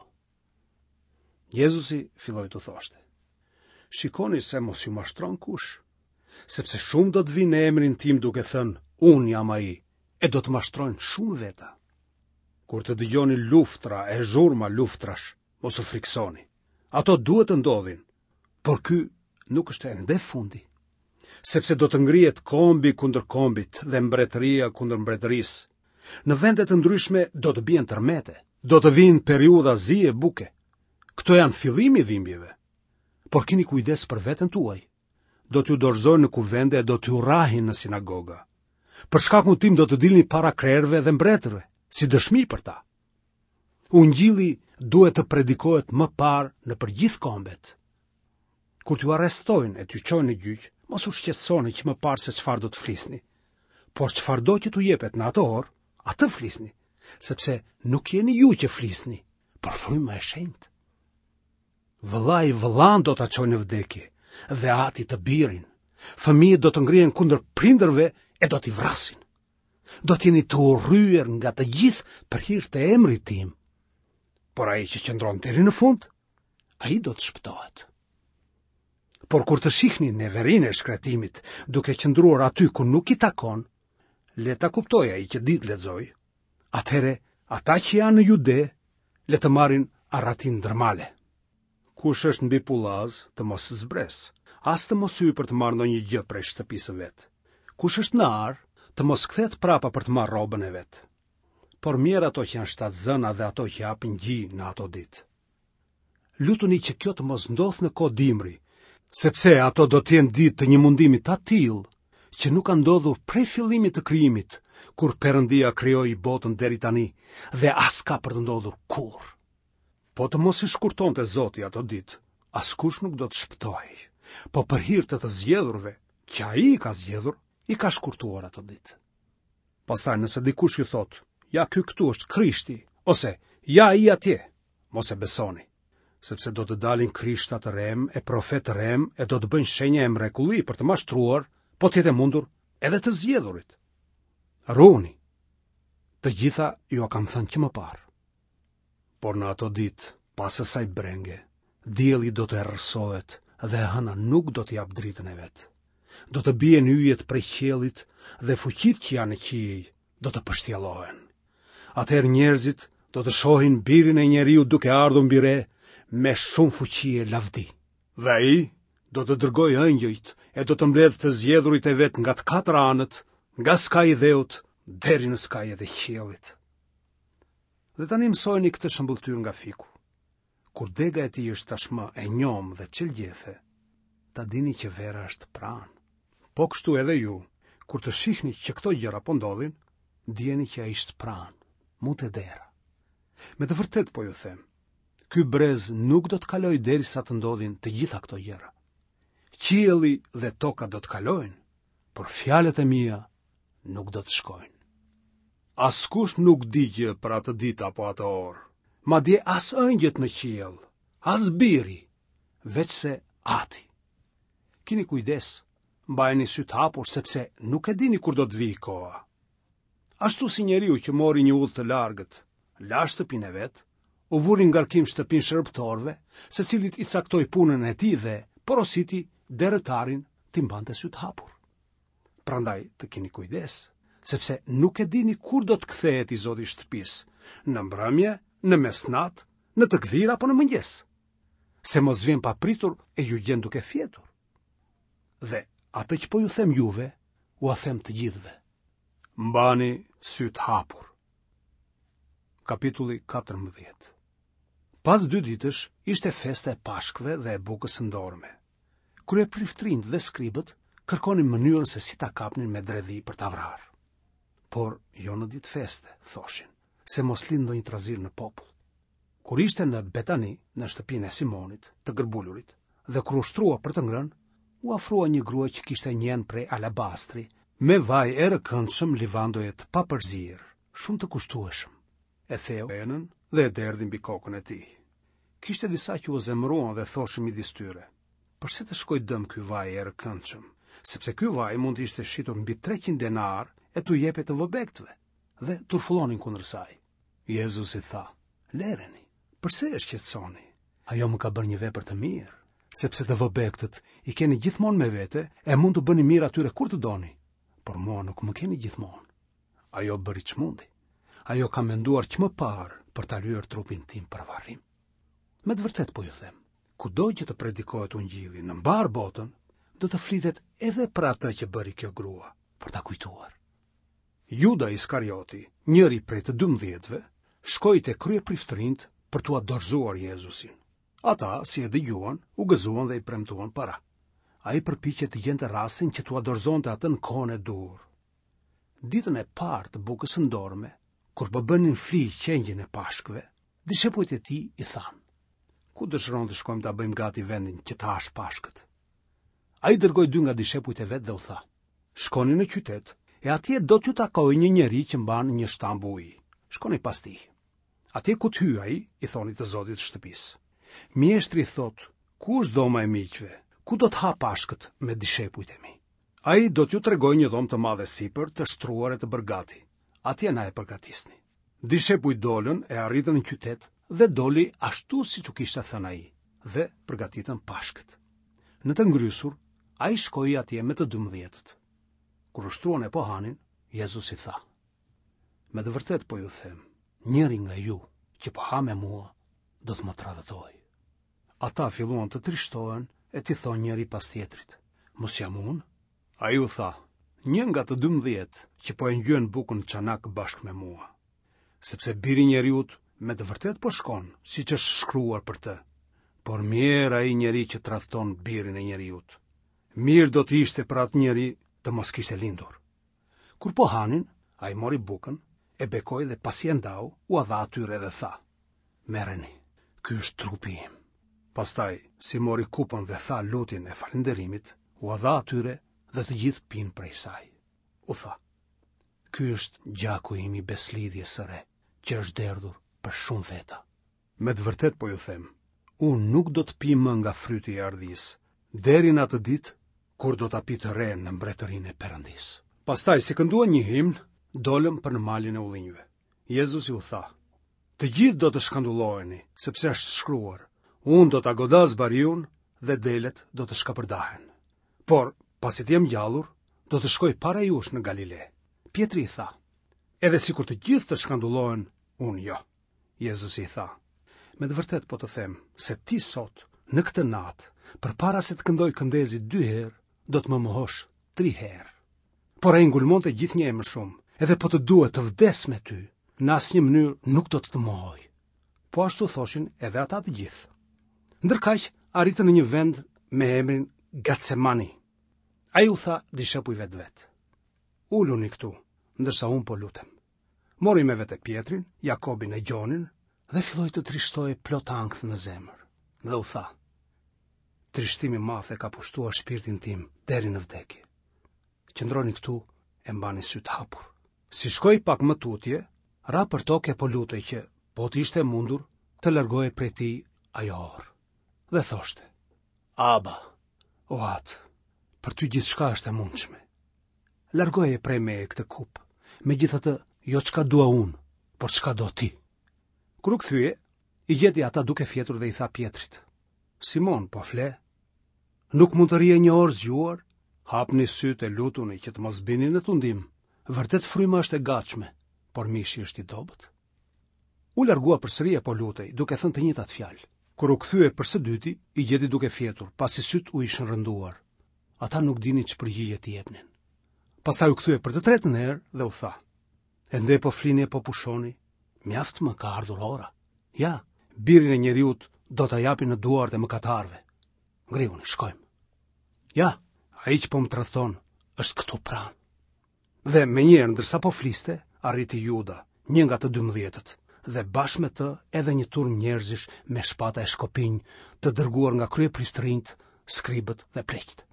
Jezusi filloi t'u thoshte: Shikoni se mos ju mashtron kush, sepse shumë do të vijnë në emrin tim duke thënë, unë jam ai, e do të mashtrojnë shumë veta. Kur të dëgjoni luftra e zhurma luftrash, mos u frikësoni. Ato duhet të ndodhin, por ky nuk është ende fundi. Sepse do të ngrihet kombi kundër kombit dhe mbretëria kundër mbretërisë. Në vende të ndryshme do të bien tërmete, do të vijnë periudha zie buke. Këto janë fillimi i dhimbjeve. Por kini kujdes për veten tuaj. Do t'ju dorëzojnë në kuvende e do t'ju rrahin në sinagoga. Për shkakun tim do të dilni para krerëve dhe mbretërve, si dëshmi për ta. Ungjilli duhet të predikohet më parë nëpër gjithë kombet. Kur t'ju arrestojnë e t'ju çojnë në gjyq, mos u shqetësoni që më parë se çfarë do të flisni. Por çfarëdo që t'u jepet në atë orë, atë flisni, sepse nuk jeni ju që flisni, por fryma e shenjtë. Vëllai vëllanë do ta çojë në vdekje dhe ati të birin. Fëmijët do të ngrihen kundër prindërve e do t'i vrasin. Do të jeni të urryer nga të gjithë për hir të emrit tim. Por ai që qëndron deri në fund, ai do të shpëtohet. Por kur të shihni neverinë e shkretimit duke qëndruar aty ku nuk i takon, le ta kuptojë ai që di të lexojë, atëherë ata që janë në Jude, le të marrin arratinë ndër male. Kush është mbi pullaz, të mos zbresë, as të mos hyjë për të marrë ndonjë gjë prej shtëpisë së vet. Kush është në arë, të mos kthehet prapa për të marrë rrobën e vet. Por mjerë ato që janë shtatzëna dhe ato që japin gji në ato ditë. Lutuni që kjo të mos ndodhë në kohë dimri, sepse ato do të jenë ditë të një mundimi të atillë, që nuk ka ndodhur prej fillimit të krijimit, kur Perëndia krijoi botën deri tani dhe as ka për të ndodhur kurrë. Po të mos i shkurtonte Zoti ato ditë, askush nuk do të shpëtohej, po për hir të të zgjedhurve, që ai i ka zgjedhur, i ka shkurtuar ato ditë. Pastaj nëse dikush ju thotë, ja ky këtu është Krishti, ose ja ai atje, mos e besoni, sepse do të dalin krishta të rremë e profetë të rremë e do të bëjnë shenja e mrekulli për të mashtruar, po të jetë e mundur, edhe të zgjedhurit. Ruhuni. Të gjitha jua kam thënë që më parë. Por në ato ditë, pas asaj brenge, dielli do të errësohet dhe hëna nuk do të japë dritën e vet. Do të bien yjet prej qiellit dhe fuqitë që janë në qiej do të pështjellohen. Atëherë njerëzit do të shohin birin e njeriut duke ardhur mbi re me shumë fuqi e lavdi. Dhe ai do të dërgojë engjëjt e do të mbledhë të zgjedhurit e vet nga të katër anët, nga skaji i dheut deri në skajet e qiellit. Dhe tani mësojeni këtë shëmbëlltyrë nga fiku. Kur dega e tij është tashmë e njomë dhe çel gjethe, ta dini që vera është pranë. Po kështu edhe ju, kur të shihni që këto gjëra po ndodhin, dijeni që ai është pranë, mu te dera. Me të vërtetë po ju them, ky brez nuk do të kalojë derisa të ndodhin të gjitha këto gjëra. Qielli dhe toka do të kalojnë, por fjalët e mia nuk do të shkojnë. Askush nuk di gjë për atë ditë apo atë orë, madje as engjëjt në qiell, as biri, veçse ati. Kini kujdes, mbajeni sytë hapur, sepse nuk e dini kur do të vijë koha. Ashtu si njeriu që mori një udhë të largët, la shtëpinë e vet, u vuri në ngarkim shtëpinë shërbëtorëve, secilit i caktoi punën e tij dhe porositi derëtarin t'i mbante sytë hapur. Prandaj të keni kujdes, sepse nuk e dini kur do të kthehet i zoti i shtëpisë, në mbrëmje, në mesnatë, në të gdhirë apo në mëngjes. Se mos vjen papritur e ju gjen duke fjetur. Dhe atë që po ju them juve, ua them të gjithëve. Mbani sytë hapur. Kapitulli 14 Pas dy ditësh ishte festa e Pashkëve dhe e bukës së ndorme. Kryepriftërinjtë dhe skribët kërkonin mënyrën se si ta kapnin me dredhi për ta vrarë. Por jo në ditë feste, thoshin, se mos lind ndonjë trazirë në popull. Kur ishte në Betani, në shtëpinë e Simonit, të gërbulurit, dhe kur u shtrua për të ngrënë, u afrua një grua që kishte një enë prej alabastri, me vaj erëkëndshëm livandoje të papërzier, shumë të kushtueshëm. E theu enën dhe e derdhi mbi kokën e tij. Kishte disa që u zemëruan dhe thoshin midis tyre, përse të shkojë dëm ky vaj erëkëndshëm, sepse ky vaj mund të ishte shitur mbi 300 denarë e t'u jepej të vobektëve, dhe turfullonin kundër saj. Jezusi tha, Lëreni, përse e shqetësoni? Ajo më ka bërë një vepër të mirë, sepse të vobektët i keni gjithmonë me vete e mund t'u bëni mirë atyre kur të doni, por mua nuk më keni gjithmonë. Ajo bëri ç'mundi. Ajo ka menduar që më parë për ta lyer trupin tim për varrim. Me të vërtetë po ju them, kudo që të predikohet ungjilli në mbarë botën, do të flitet edhe për atë që bëri kjo grua, për ta kujtuar. Juda Iskarioti, njëri prej të dymbëdhjetëve, shkoi te kryepriftërinjtë për t'ua dorëzuar Jezusin. Ata, si e dëgjuan, u gëzuan dhe i premtuan para. Ai përpiqej të gjente rastin që t'ua dorëzonte atë në kohën e duhur. Ditën e parë të bukës së ndorme, kur po bënin fli qengjin e Pashkëve, dishepujt e tij i thanë: Ku dëshiron të shkojmë ta bëjmë gati vendin që të hash Pashkët? Ai dërgoi dy nga dishepujt e vet dhe u tha: Shkoni në qytet, e atje do t'ju takojë një njeri që mban një shtambë uji. Shkoni pas tij. Atje ku të hyjë ai, i thoni të zotit të shtëpisë. Mjeshtri thotë, ku është dhoma e miqve, ku do të ha Pashkët me dishepujt e mi? Ai do t'ju tregojë një dhomë të madhe sipër, të shtruar e të bërë gati. Atje na e përgatisni. Dishepujt dolën e arritën në qytet dhe doli ashtu siç u kishte thënë ai dhe përgatitën Pashkët. Në të ngrysur, ai shkoi atje me të dymbëdhjetët. Kur u shtruan e po hanin, Jezusi tha: Me të vërtetë po ju them, njëri nga ju që po ha me mua do të më tradhtojë. Ata filluan të trishtohen e t'i thonë njëri pas tjetrit, mos jam unë? Ai u tha, një nga të 12 që po e ngjyen bukën në çanak bashkë me mua. Sepse biri i njeriut me të vërtetë po shkon, siç është shkruar për të. Por mjerë ai njeri që tradhton birin e njeriut. Mirë do të ishte për atë njeri të mos kishte lindur. Kur po hanin, ai mori bukën, e bekoi dhe pasi e ndau, ua dha atyre dhe tha: Merreni, ky është trupi im. Pastaj, si mori kupën dhe tha lutjen e falënderimit, ua dha atyre dhe të gjithë pinë prej saj. U tha: Ky është gjaku im i besëlidhjes së re, që është derdhur për shumë veta. Me të vërtetë po ju them, unë nuk do të pi më nga fryti i ardhisë, deri në atë ditë kur do ta pi të re në mbretërinë e Perëndisë. Pastaj, si kënduan një himn, dolën për në malin e ullinjve. Jezusi u tha, të gjithë do të shkandulloheni, sepse është shkruar, unë do ta godas bariun dhe delet do të shkapërdahen. Por, pasi të jem ngjallur, do të shkoj para jush në Galile. Pjetri i tha, edhe sikur të gjithë të shkandullohen, unë jo. Jezusi i tha, Me të vërtetë po të them, se ti sot, në këtë natë, përpara se të këndojë këndezi dy herë, do të më mohosh tri herë. Por ai ngulmonte gjithnjë e më shumë, edhe po të duhet të vdes me ty, në asnjë mënyrë nuk do të të mohoj. Po ashtu thoshin edhe ata të gjithë. Ndërkaq, arritën në një vend me emrin Gatsemani. Ai u tha dishepujve të vet. Uluni këtu, ndërsa unë po lutem. Mori me vete Pjetrin, Jakobin e Gjonin dhe filloi të trishtohej plot ankth në zemër dhe u tha: Trishtim i madh e ka pushtuar shpirtin tim deri në vdekje. Qëndroni këtu e mbani sytë hapur. Si shkoi pak më tutje, ra për tokë e po lutej që, po të ishte e mundur, të largohej prej tij ajo orë. Dhe thoshte: Aba, o atë, për ty gjithçka është e mundshme. Largoje prej meje këtë kupë, megjithatë jo çka dua unë, por çka do ti. Kur u kthye, i gjeti ata duke fjetur dhe i tha Pjetrit, Simon, po fle? Nuk mund të rrije një orë zgjuar? Hapni sytë e lutuni që të mos bini në tundim. Vërtet fryma është e gatshme, por mishi është i dobët. U largua përsëri e po lutej, duke thënë të njëjtat fjalë. Kur u kthye për së dyti, i gjeti duke fjetur, pasi sytë u ishin rënduar. Ata nuk dinin ç'përgjigje t'i jepnin. Pastaj u kthye për të tretën herë dhe u tha: Ende po flini e po pushoni, mjaft më ka ardhur ora. Ja, birin e njeriut do ta japin në duart e mëkatarëve. Ngrihuni, shkojmë. Ja, ai që po më tradhton është këtu pranë. Dhe menjëherë ndërsa po fliste, arriti Juda, një nga të dymbëdhjetët, dhe bashkë me të edhe një turmë njerëzish me shpata e shkopinj të dërguar nga kryepriftërinjtë, skribët dhe pleqtë.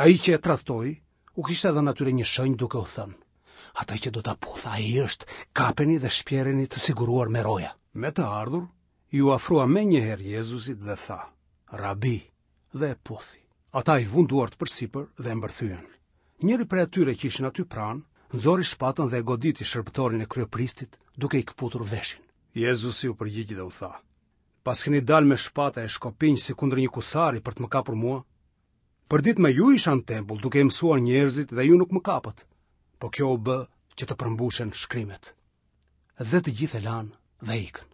Ai që e tradhtoi, u kishte dhënë atyre një shenjë duke u thënë, atë që do ta puth, ai është, kapeni dhe shpjereni të siguruar me roja. Me të ardhur, iu afrua menjëherë Jezusit dhe tha, Rabi, dhe e puthi. Ata i vunë duart përsipër dhe e mbërthyen. Njëri prej atyre që ishin aty pranë, nxori shpatën dhe e goditi shërbëtorin e kryepriftit duke i këputur veshin. Jezusi u përgjigj dhe u tha, Paskeni dalë me shpata e shkopinj si kundër një kusari për të më kapur mua? Përditë me ju isha në tempull duke i mësuar njerëzit dhe ju nuk më kapët, po kjo u bë që të përmbushen shkrimet. Dhe të gjithë e lanë dhe ikën.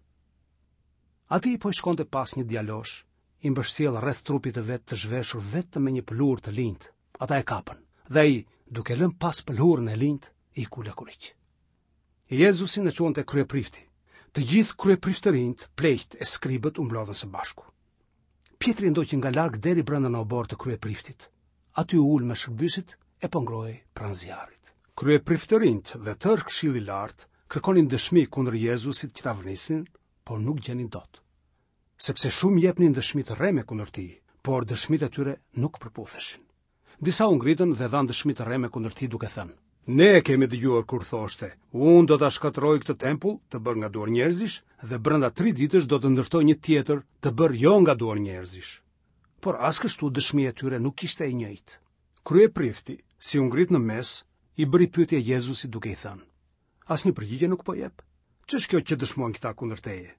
Atij po i shkonte pas një djalosh, i mbështjellë rreth trupit të vet të zhveshur vetëm me një pëlhurë të linjtë. Ata e kapën, dhe ai, duke lënë pas pëlhurën e linjtë, iku lakuriq. Jezusin e çuan te kryeprifti. Të gjithë kryepriftërinjtë, pleqtë e skribët u mblodhën së bashku. Pjetri e ndoqi nga larg deri brenda në oborr të kryepriftit. Aty u ul me shërbyesit e po ngrohej pranë zjarrit. Kryepriftërinjtë dhe tërë këshilli i lartë kërkonin dëshmi kundër Jezusit që ta vrisnin, por nuk gjenin dot. Sepse shumë jepnin dëshmi të rreme kundër tij, por dëshmitë e tyre nuk përputheshin. Disa u ngritën dhe dhanë dëshmi të rreme kundër tij duke thënë: Ne e kemi dëgjuar kur thoshte, unë do ta shkatërroj këtë tempull të bërë nga duar njerëzish dhe brenda tri ditësh do të ndërtoj një tjetër të bërë jo nga duar njerëzish. Por as kështu dëshmia e tyre nuk ishte e njëjtë. Kryeprifti, si u ngrit në mes, i bëri pyetje Jezusit duke i thënë: Asnjë përgjigje nuk po jep. Ç'është kjo që dëshmojnë këta kundër teje?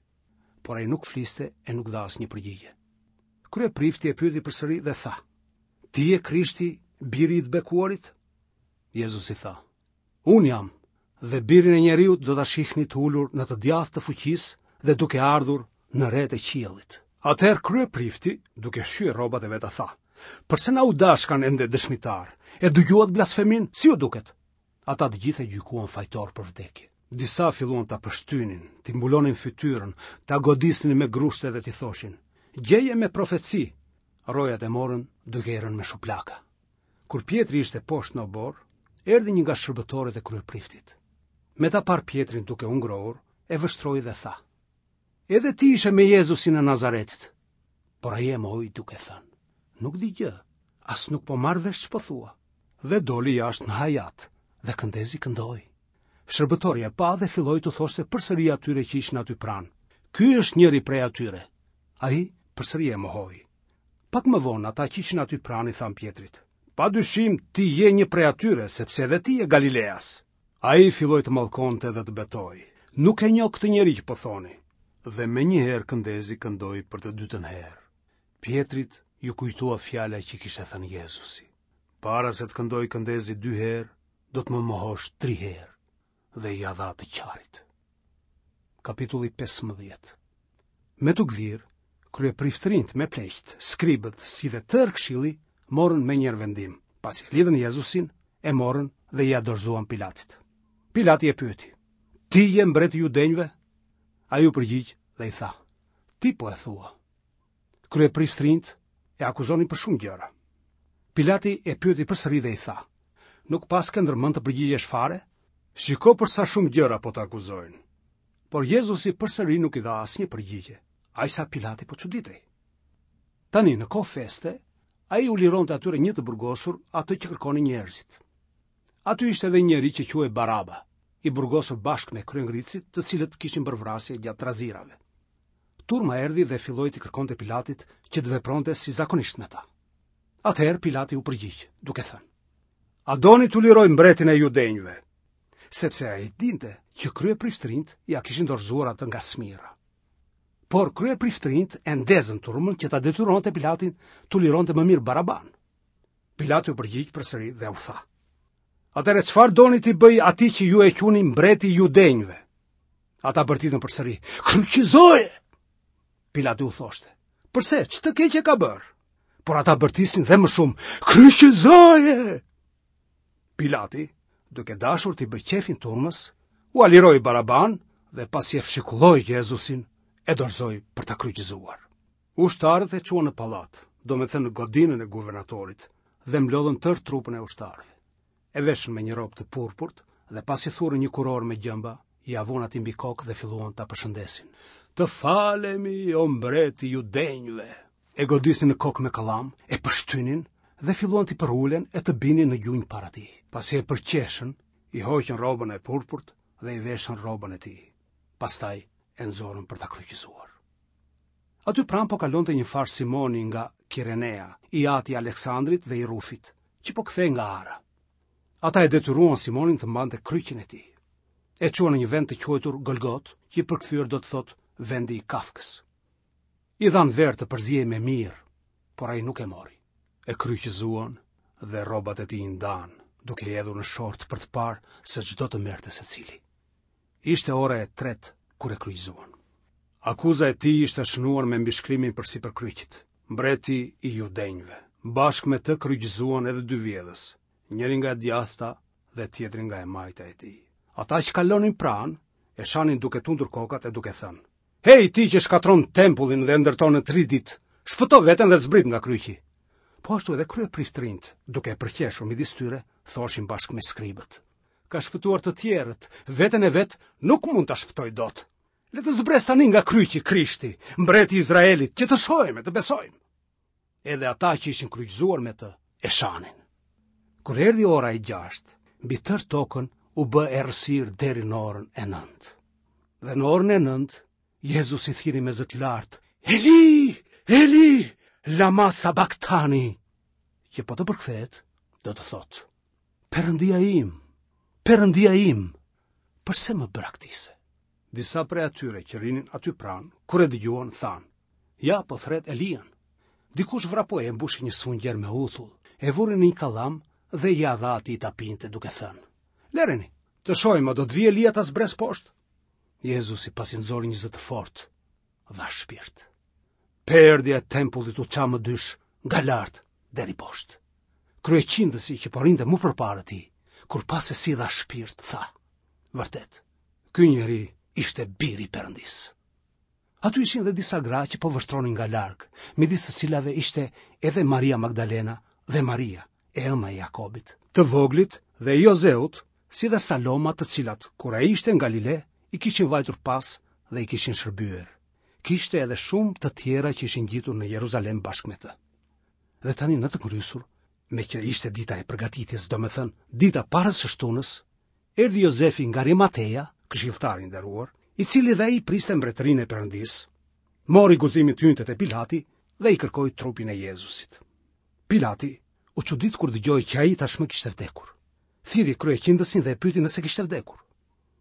Por ai nuk fliste e nuk dha asnjë përgjigje. Kryeprifti e pyeti përsëri dhe tha: Ti je Krishti, biri i të bekuarit? Jezusi tha: Unë jam, dhe birin e njeriut do ta shihni të ulur në të djathtë të fuqisë dhe duke ardhur në retë e qiellit. Atëherë kryeprifti, duke shqyer rrobat e veta tha: Përse na u dashkan ende dëshmitarë? E dëgjuat blasfeminë, si ju duket? Ata të gjithë e gjykuan fajtor për vdekje. Disa filluan ta pështynin, t'i mbulonin fytyrën, ta godisnin me grushte dhe t'i thoshin: Gjeje me profeci. Rojat e morën duke i rënë me shuplaka. Kur Pjetri ishte poshtë në oborr, erdhi një nga shërbëtorët e kryepriftit. Me ta parë Pjetrin duke u ngrohur, e vështroi dhe tha: Edhe ti ishe me Jezusin e Nazaretit. Por ai e mohoi duke thënë: Nuk di gjë, as nuk po marr vesh ç'po thua. Dhe doli jashtë në hajat dhe këndezi këndoi. Shërbëtori e pa dhe filloi t'u thoshte përsëri atyre që ishin aty pranë. Ky është njëri prej atyre. Ai përsëri e mohoi. Pak më vonë ata që ishin aty pranë i thanë Pjetrit: Pa dyshim ti je një prej atyre, sepse edhe ti je Galileas. Ai filloi të mallkonte dhe të betohej. Nuk e njoh këtë njeri që po thoni. Dhe menjëherë këndezi këndoi për të dytën herë. Pjetrit iu kujtua fjala që kishte thënë Jezusi. Para se të këndojë këndezi dy herë, do të më mohosh tri herë dhe ia dha të qarit. Kapitulli 15 Me t'u gdhirë, kryepriftërinjtë me pleqtë, skribët, si dhe tërë këshilli, morën menjëherë vendim, pasi e lidhën Jezusin, e morën dhe ia dorëzuan Pilatit. Pilati e pyeti, ti je mbreti i judenjve? Ai u përgjigj dhe i tha, ti po e thua. Kryepriftërinjtë e akuzonin për shumë gjëra. Pilati e pyeti përsëri dhe i tha, nuk paske ndërmend të përgjigjesh fare? Shiko për sa shumë gjëra po të akuzojnë. Por Jezusi përsëri nuk i dha asnjë përgjigje, aq sa Pilati po çuditej. Tani në kohë feste, ai u lironte atyre një të burgosur atë që kërkonin njerëzit. Aty ishte edhe një njeri që quhej Baraba, i burgosur bashkë me kryengritësit, të cilët kishin bërë vrasje gjatë trazirave. Turma erdhi dhe filloi t'i kërkonte Pilatit që të vepronte si zakonisht me ta. Atëherë Pilati u përgjigj, duke thënë: A doni t'u liroj mbretin e judenjve? Sepse ai dinte që kryepriftërinjtë ia kishin dorëzuar atë nga smirra. Por kryepriftërinjtë e ndezën turmën që ta detyronte Pilatin t'u lironte më mirë Baraban. Pilati u përgjigj përsëri dhe u tha: Atëherë çfarë doni t'i bëj atij që ju e quani mbreti i judenjve? Ata bërtitën përsëri: Kryqëzoje! Pilati u thoshte: Përse, ç'të keqe ka bërë? Por ata bërtisnin dhe më shumë: Kryqëzoje! Pilati, duke dashur t'i bëjë qejfin turmës, ua liroi Baraban dhe pasi e fshikulloi Jezusin, e dorëzoi për ta kryqëzuar. Ushtarët e çuan në pallat, domethënë në godinën e guvernatorit, dhe mblodhën tërë trupën e ushtarëve. E veshën me një rrobë të purpurt dhe pasi thurën një kurorë me gjemba, ia vunë atij mbi kokë dhe filluan ta përshëndesin. Të falemi, o mbret i judenjve! E godisnin në kokë me kallam, e pështynin dhe filluan t'i përulen e të binin në gjunjë para tij. Pasi e përqeshën, i hoqën rrobën e purpurt dhe i veshën rrobën e tij. Pastaj e nxorën për ta kryqëzuar. Aty pranë po kalonte një farë Simoni nga Kirenea, i ati i Aleksandrit dhe i Rufit, që po kthehej nga ara. Ata e detyruan Simonin të mbante kryqin e tij. E çuan në një vend të quajtur Golgotë, që i përkthyer do të thotë vendi i kafkës. I dhanë verë të përziej me mirë, por ai nuk e mori. E kryqëzuan dhe rrobat e tij i ndanë, duke i hedhur në short për të parë se ç'do të merrte secili. Ishte ora e tretë kur e kryqëzuan. Akuza e tij ishte shënuar me mbishkrimin përsipër kryqit, Mbreti i Judenjve. Bashkë me të kryqëzuan edhe dy vjedhës, njëri nga e djathta dhe tjetri nga e majta e tij. Ata që kalonin pranë, e shanin duke tundur kokat e duke thënë: Hej, ti që shkatërron tempullin dhe e ndërton në tri ditë, shpëto veten dhe zbrit nga kryqi. Po ashtu edhe kryepriftërinjtë, duke e përqeshur midis tyre, thoshin bashkë me skribët. Ka shpëtuar të tjerët, veten e vet nuk mund ta shpëtojë dot. Le të zbresë tani nga kryqi Krishti, mbreti i Izraelit, që të shohim e të besojmë. Edhe ata që ishin kryqëzuar me të e shanin. Kur erdhi ora e gjashtë, mbi tërë tokën u bë errësirë deri në orën e nëntë. Dhe në orën e nëntë, Jezusi thirri me zë të lartë, Eli, Eli, lama sabaktani, që po të përkthehet, do të thotë, Perëndia im, Perëndia im, përse më braktise? Disa prej atyre që rrinin aty pranë, kur e dëgjuan, thanë, ja, po thërret Elian. Dikush vrapoi e mbushi një sfungjer me uthull, e vuri në një kallam dhe ia dha atij ta pinte duke thënë, Lëreni, të shohim a do të vijë Elia ta zbresë poshtë. Jezusi pasi nxori një zë të fortë, dha shpirt. Perdja e tempullit u ça më dysh nga lart deri poshtë. Kryeqindësi që po rrinte mu përpara tij, kur pa se si dha shpirt, tha, vërtet, ky njeri ishte biri i Perëndisë. Aty ishin dhe disa gra që po vështronin nga larg, midis së cilave ishte edhe Maria Magdalena dhe Maria, e ëma e Jakobit, të voglit dhe Jozeut, si dhe Saloma të cilat, kur ai ishte në Galile, i kishin vajtur pas dhe i kishin shërbyer. Kishte edhe shumë të tjera që ishin ngjitur në Jeruzalem bashkë me të. Dhe tani në të ngrysur, meqë ishte dita e përgatitjes, domethënë, dita para së shtunës, erdhi Jozefi nga Arimateja, këshilltar i nderuar, i cili dhe ai priste mbretërinë e Perëndisë, mori guximin të hynte te Pilati dhe i kërkoi trupin e Jezusit. Pilati u çudit kur dëgjoi që ai tashmë kishte vdekur. Thirri kryeqindësin dhe e pyeti nëse kishte vdekur.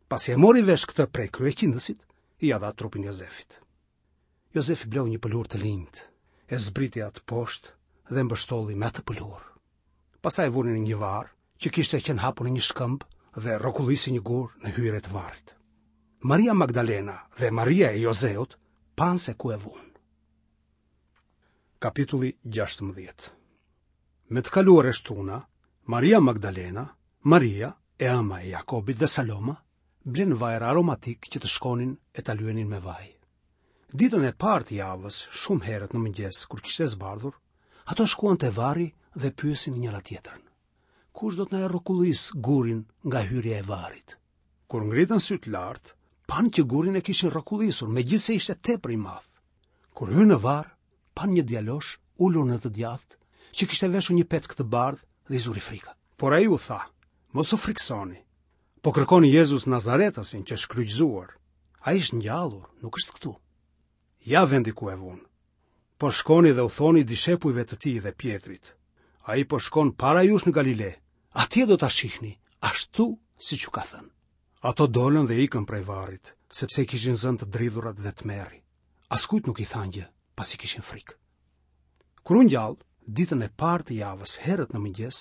Pasi e mori vesh këtë prej kryeqindësit, ia dha trupin Jozefit. Jozefi bleu një pëlhurë të linjtë, e zbriti atë poshtë dhe e mbështolli me atë pëlhurë. Pastaj e vuri në një varr që kishte qenë hapur në një shkëmb dhe rrokullisi një gur në hyrje të varrit. Maria Magdalena dhe Maria e Jozeut panë se ku e vunë. Kapitulli 16 Me të kaluar e shtuna, Maria Magdalena, Maria, e ëma e Jakobit dhe Saloma, blenë vajra aromatikë që të shkonin e ta lyenin me vaj. Ditën e parë të javës, shumë herët në mëngjes, kur kishte zbardhur, ato shkuan te varri dhe pyesin njëra-tjetrën. Kush do të na e rrokullisë gurin nga hyrja e varrit? Kur ngritën sytë lart, panë që gurin e kishin rrokullisur, megjithëse ishte tepër i madh. Kur hynë në varr, panë një djalosh ulur në të djathtë, që kishte veshur një petk të bardhë dhe i zuri frika. Por ai u tha, mos u frikësoni. Po kërkoni Jezus Nazaretasin që është kryqëzuar. Ai është ngjallur, nuk është këtu. Ja vendi ku e vunë. Por shkoni dhe u thoni dishepujve të tij dhe Pjetrit. Ai po shkon para jush në Galile. Atje do ta shihni, ashtu siç ju ka thënë. Ato dolën dhe ikën prej varrit, sepse i kishin zënë të dridhurat dhe tmerri. Askujt nuk i thanë gjë, pasi kishin frikë. Kur u ngjall, ditën e parë të javës, herët në mëngjes,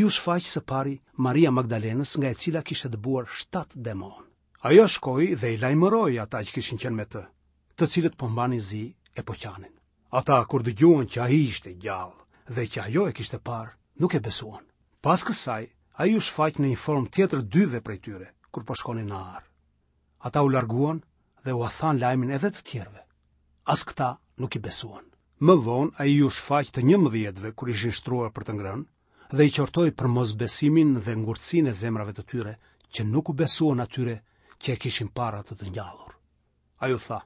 iu shfaq së pari Maria Magdalenës nga e cila kishte dëbuar shtatë demonë. Ajo shkoi dhe i lajmëroi ata që kishin qenë me të, të cilët po mbanin zi e po qanin. Ata kur dëgjuan që ai ishte gjallë dhe që ajo e kishte parë, nuk e besuan. Pas kësaj, Ai iu shfaq në një formë tjetër dyve prej tyre, kur po shkonin në arë. Ata u larguan dhe ua thanë lajmin edhe të tjerëve. As këta nuk i besuan. Më vonë ai iu shfaq të njëmbëdhjetëve kur ishin shtruar për të ngrënë dhe i qortoi për mosbesimin dhe ngurtësinë e zemrave të tyre që nuk u besuan atyre që e kishin parë atë të ngjallur. Ai u tha: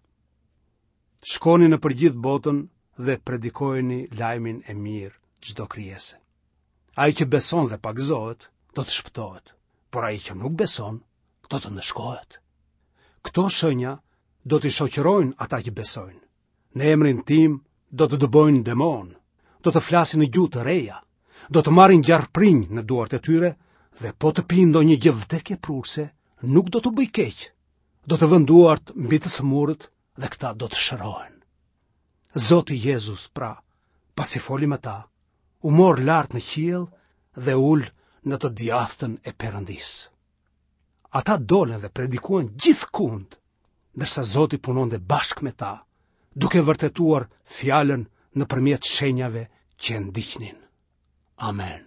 Shkoni nëpër gjithë botën dhe predikojeni lajmin e mirë çdo krijese. Ai që beson dhe pagëzohet, do të shpëtohet, por ai që nuk beson, do të ndëshkohet. Këto shenja do t'i shoqërojnë ata që besojnë. Në emrin tim do të dëbojnë demonë, do të flasin në gjuhë të reja, do të marrin gjarprinj në duart e tyre dhe po të pinë ndonjë gjë vdekjeprurëse, nuk do t'u bëjë keq. Do të vënë duart mbi të sëmurët dhe këta do të shërohen. Zoti Jezus, pra, pasi foli me ta, u mor lart në qiell dhe u ul në të djathtën e Perëndisë. Ata dolën dhe predikuan gjithkund, ndërsa Zoti punonte bashkë me ta, duke vërtetuar fjalën nëpërmjet shenjave që e ndiqnin. Amen.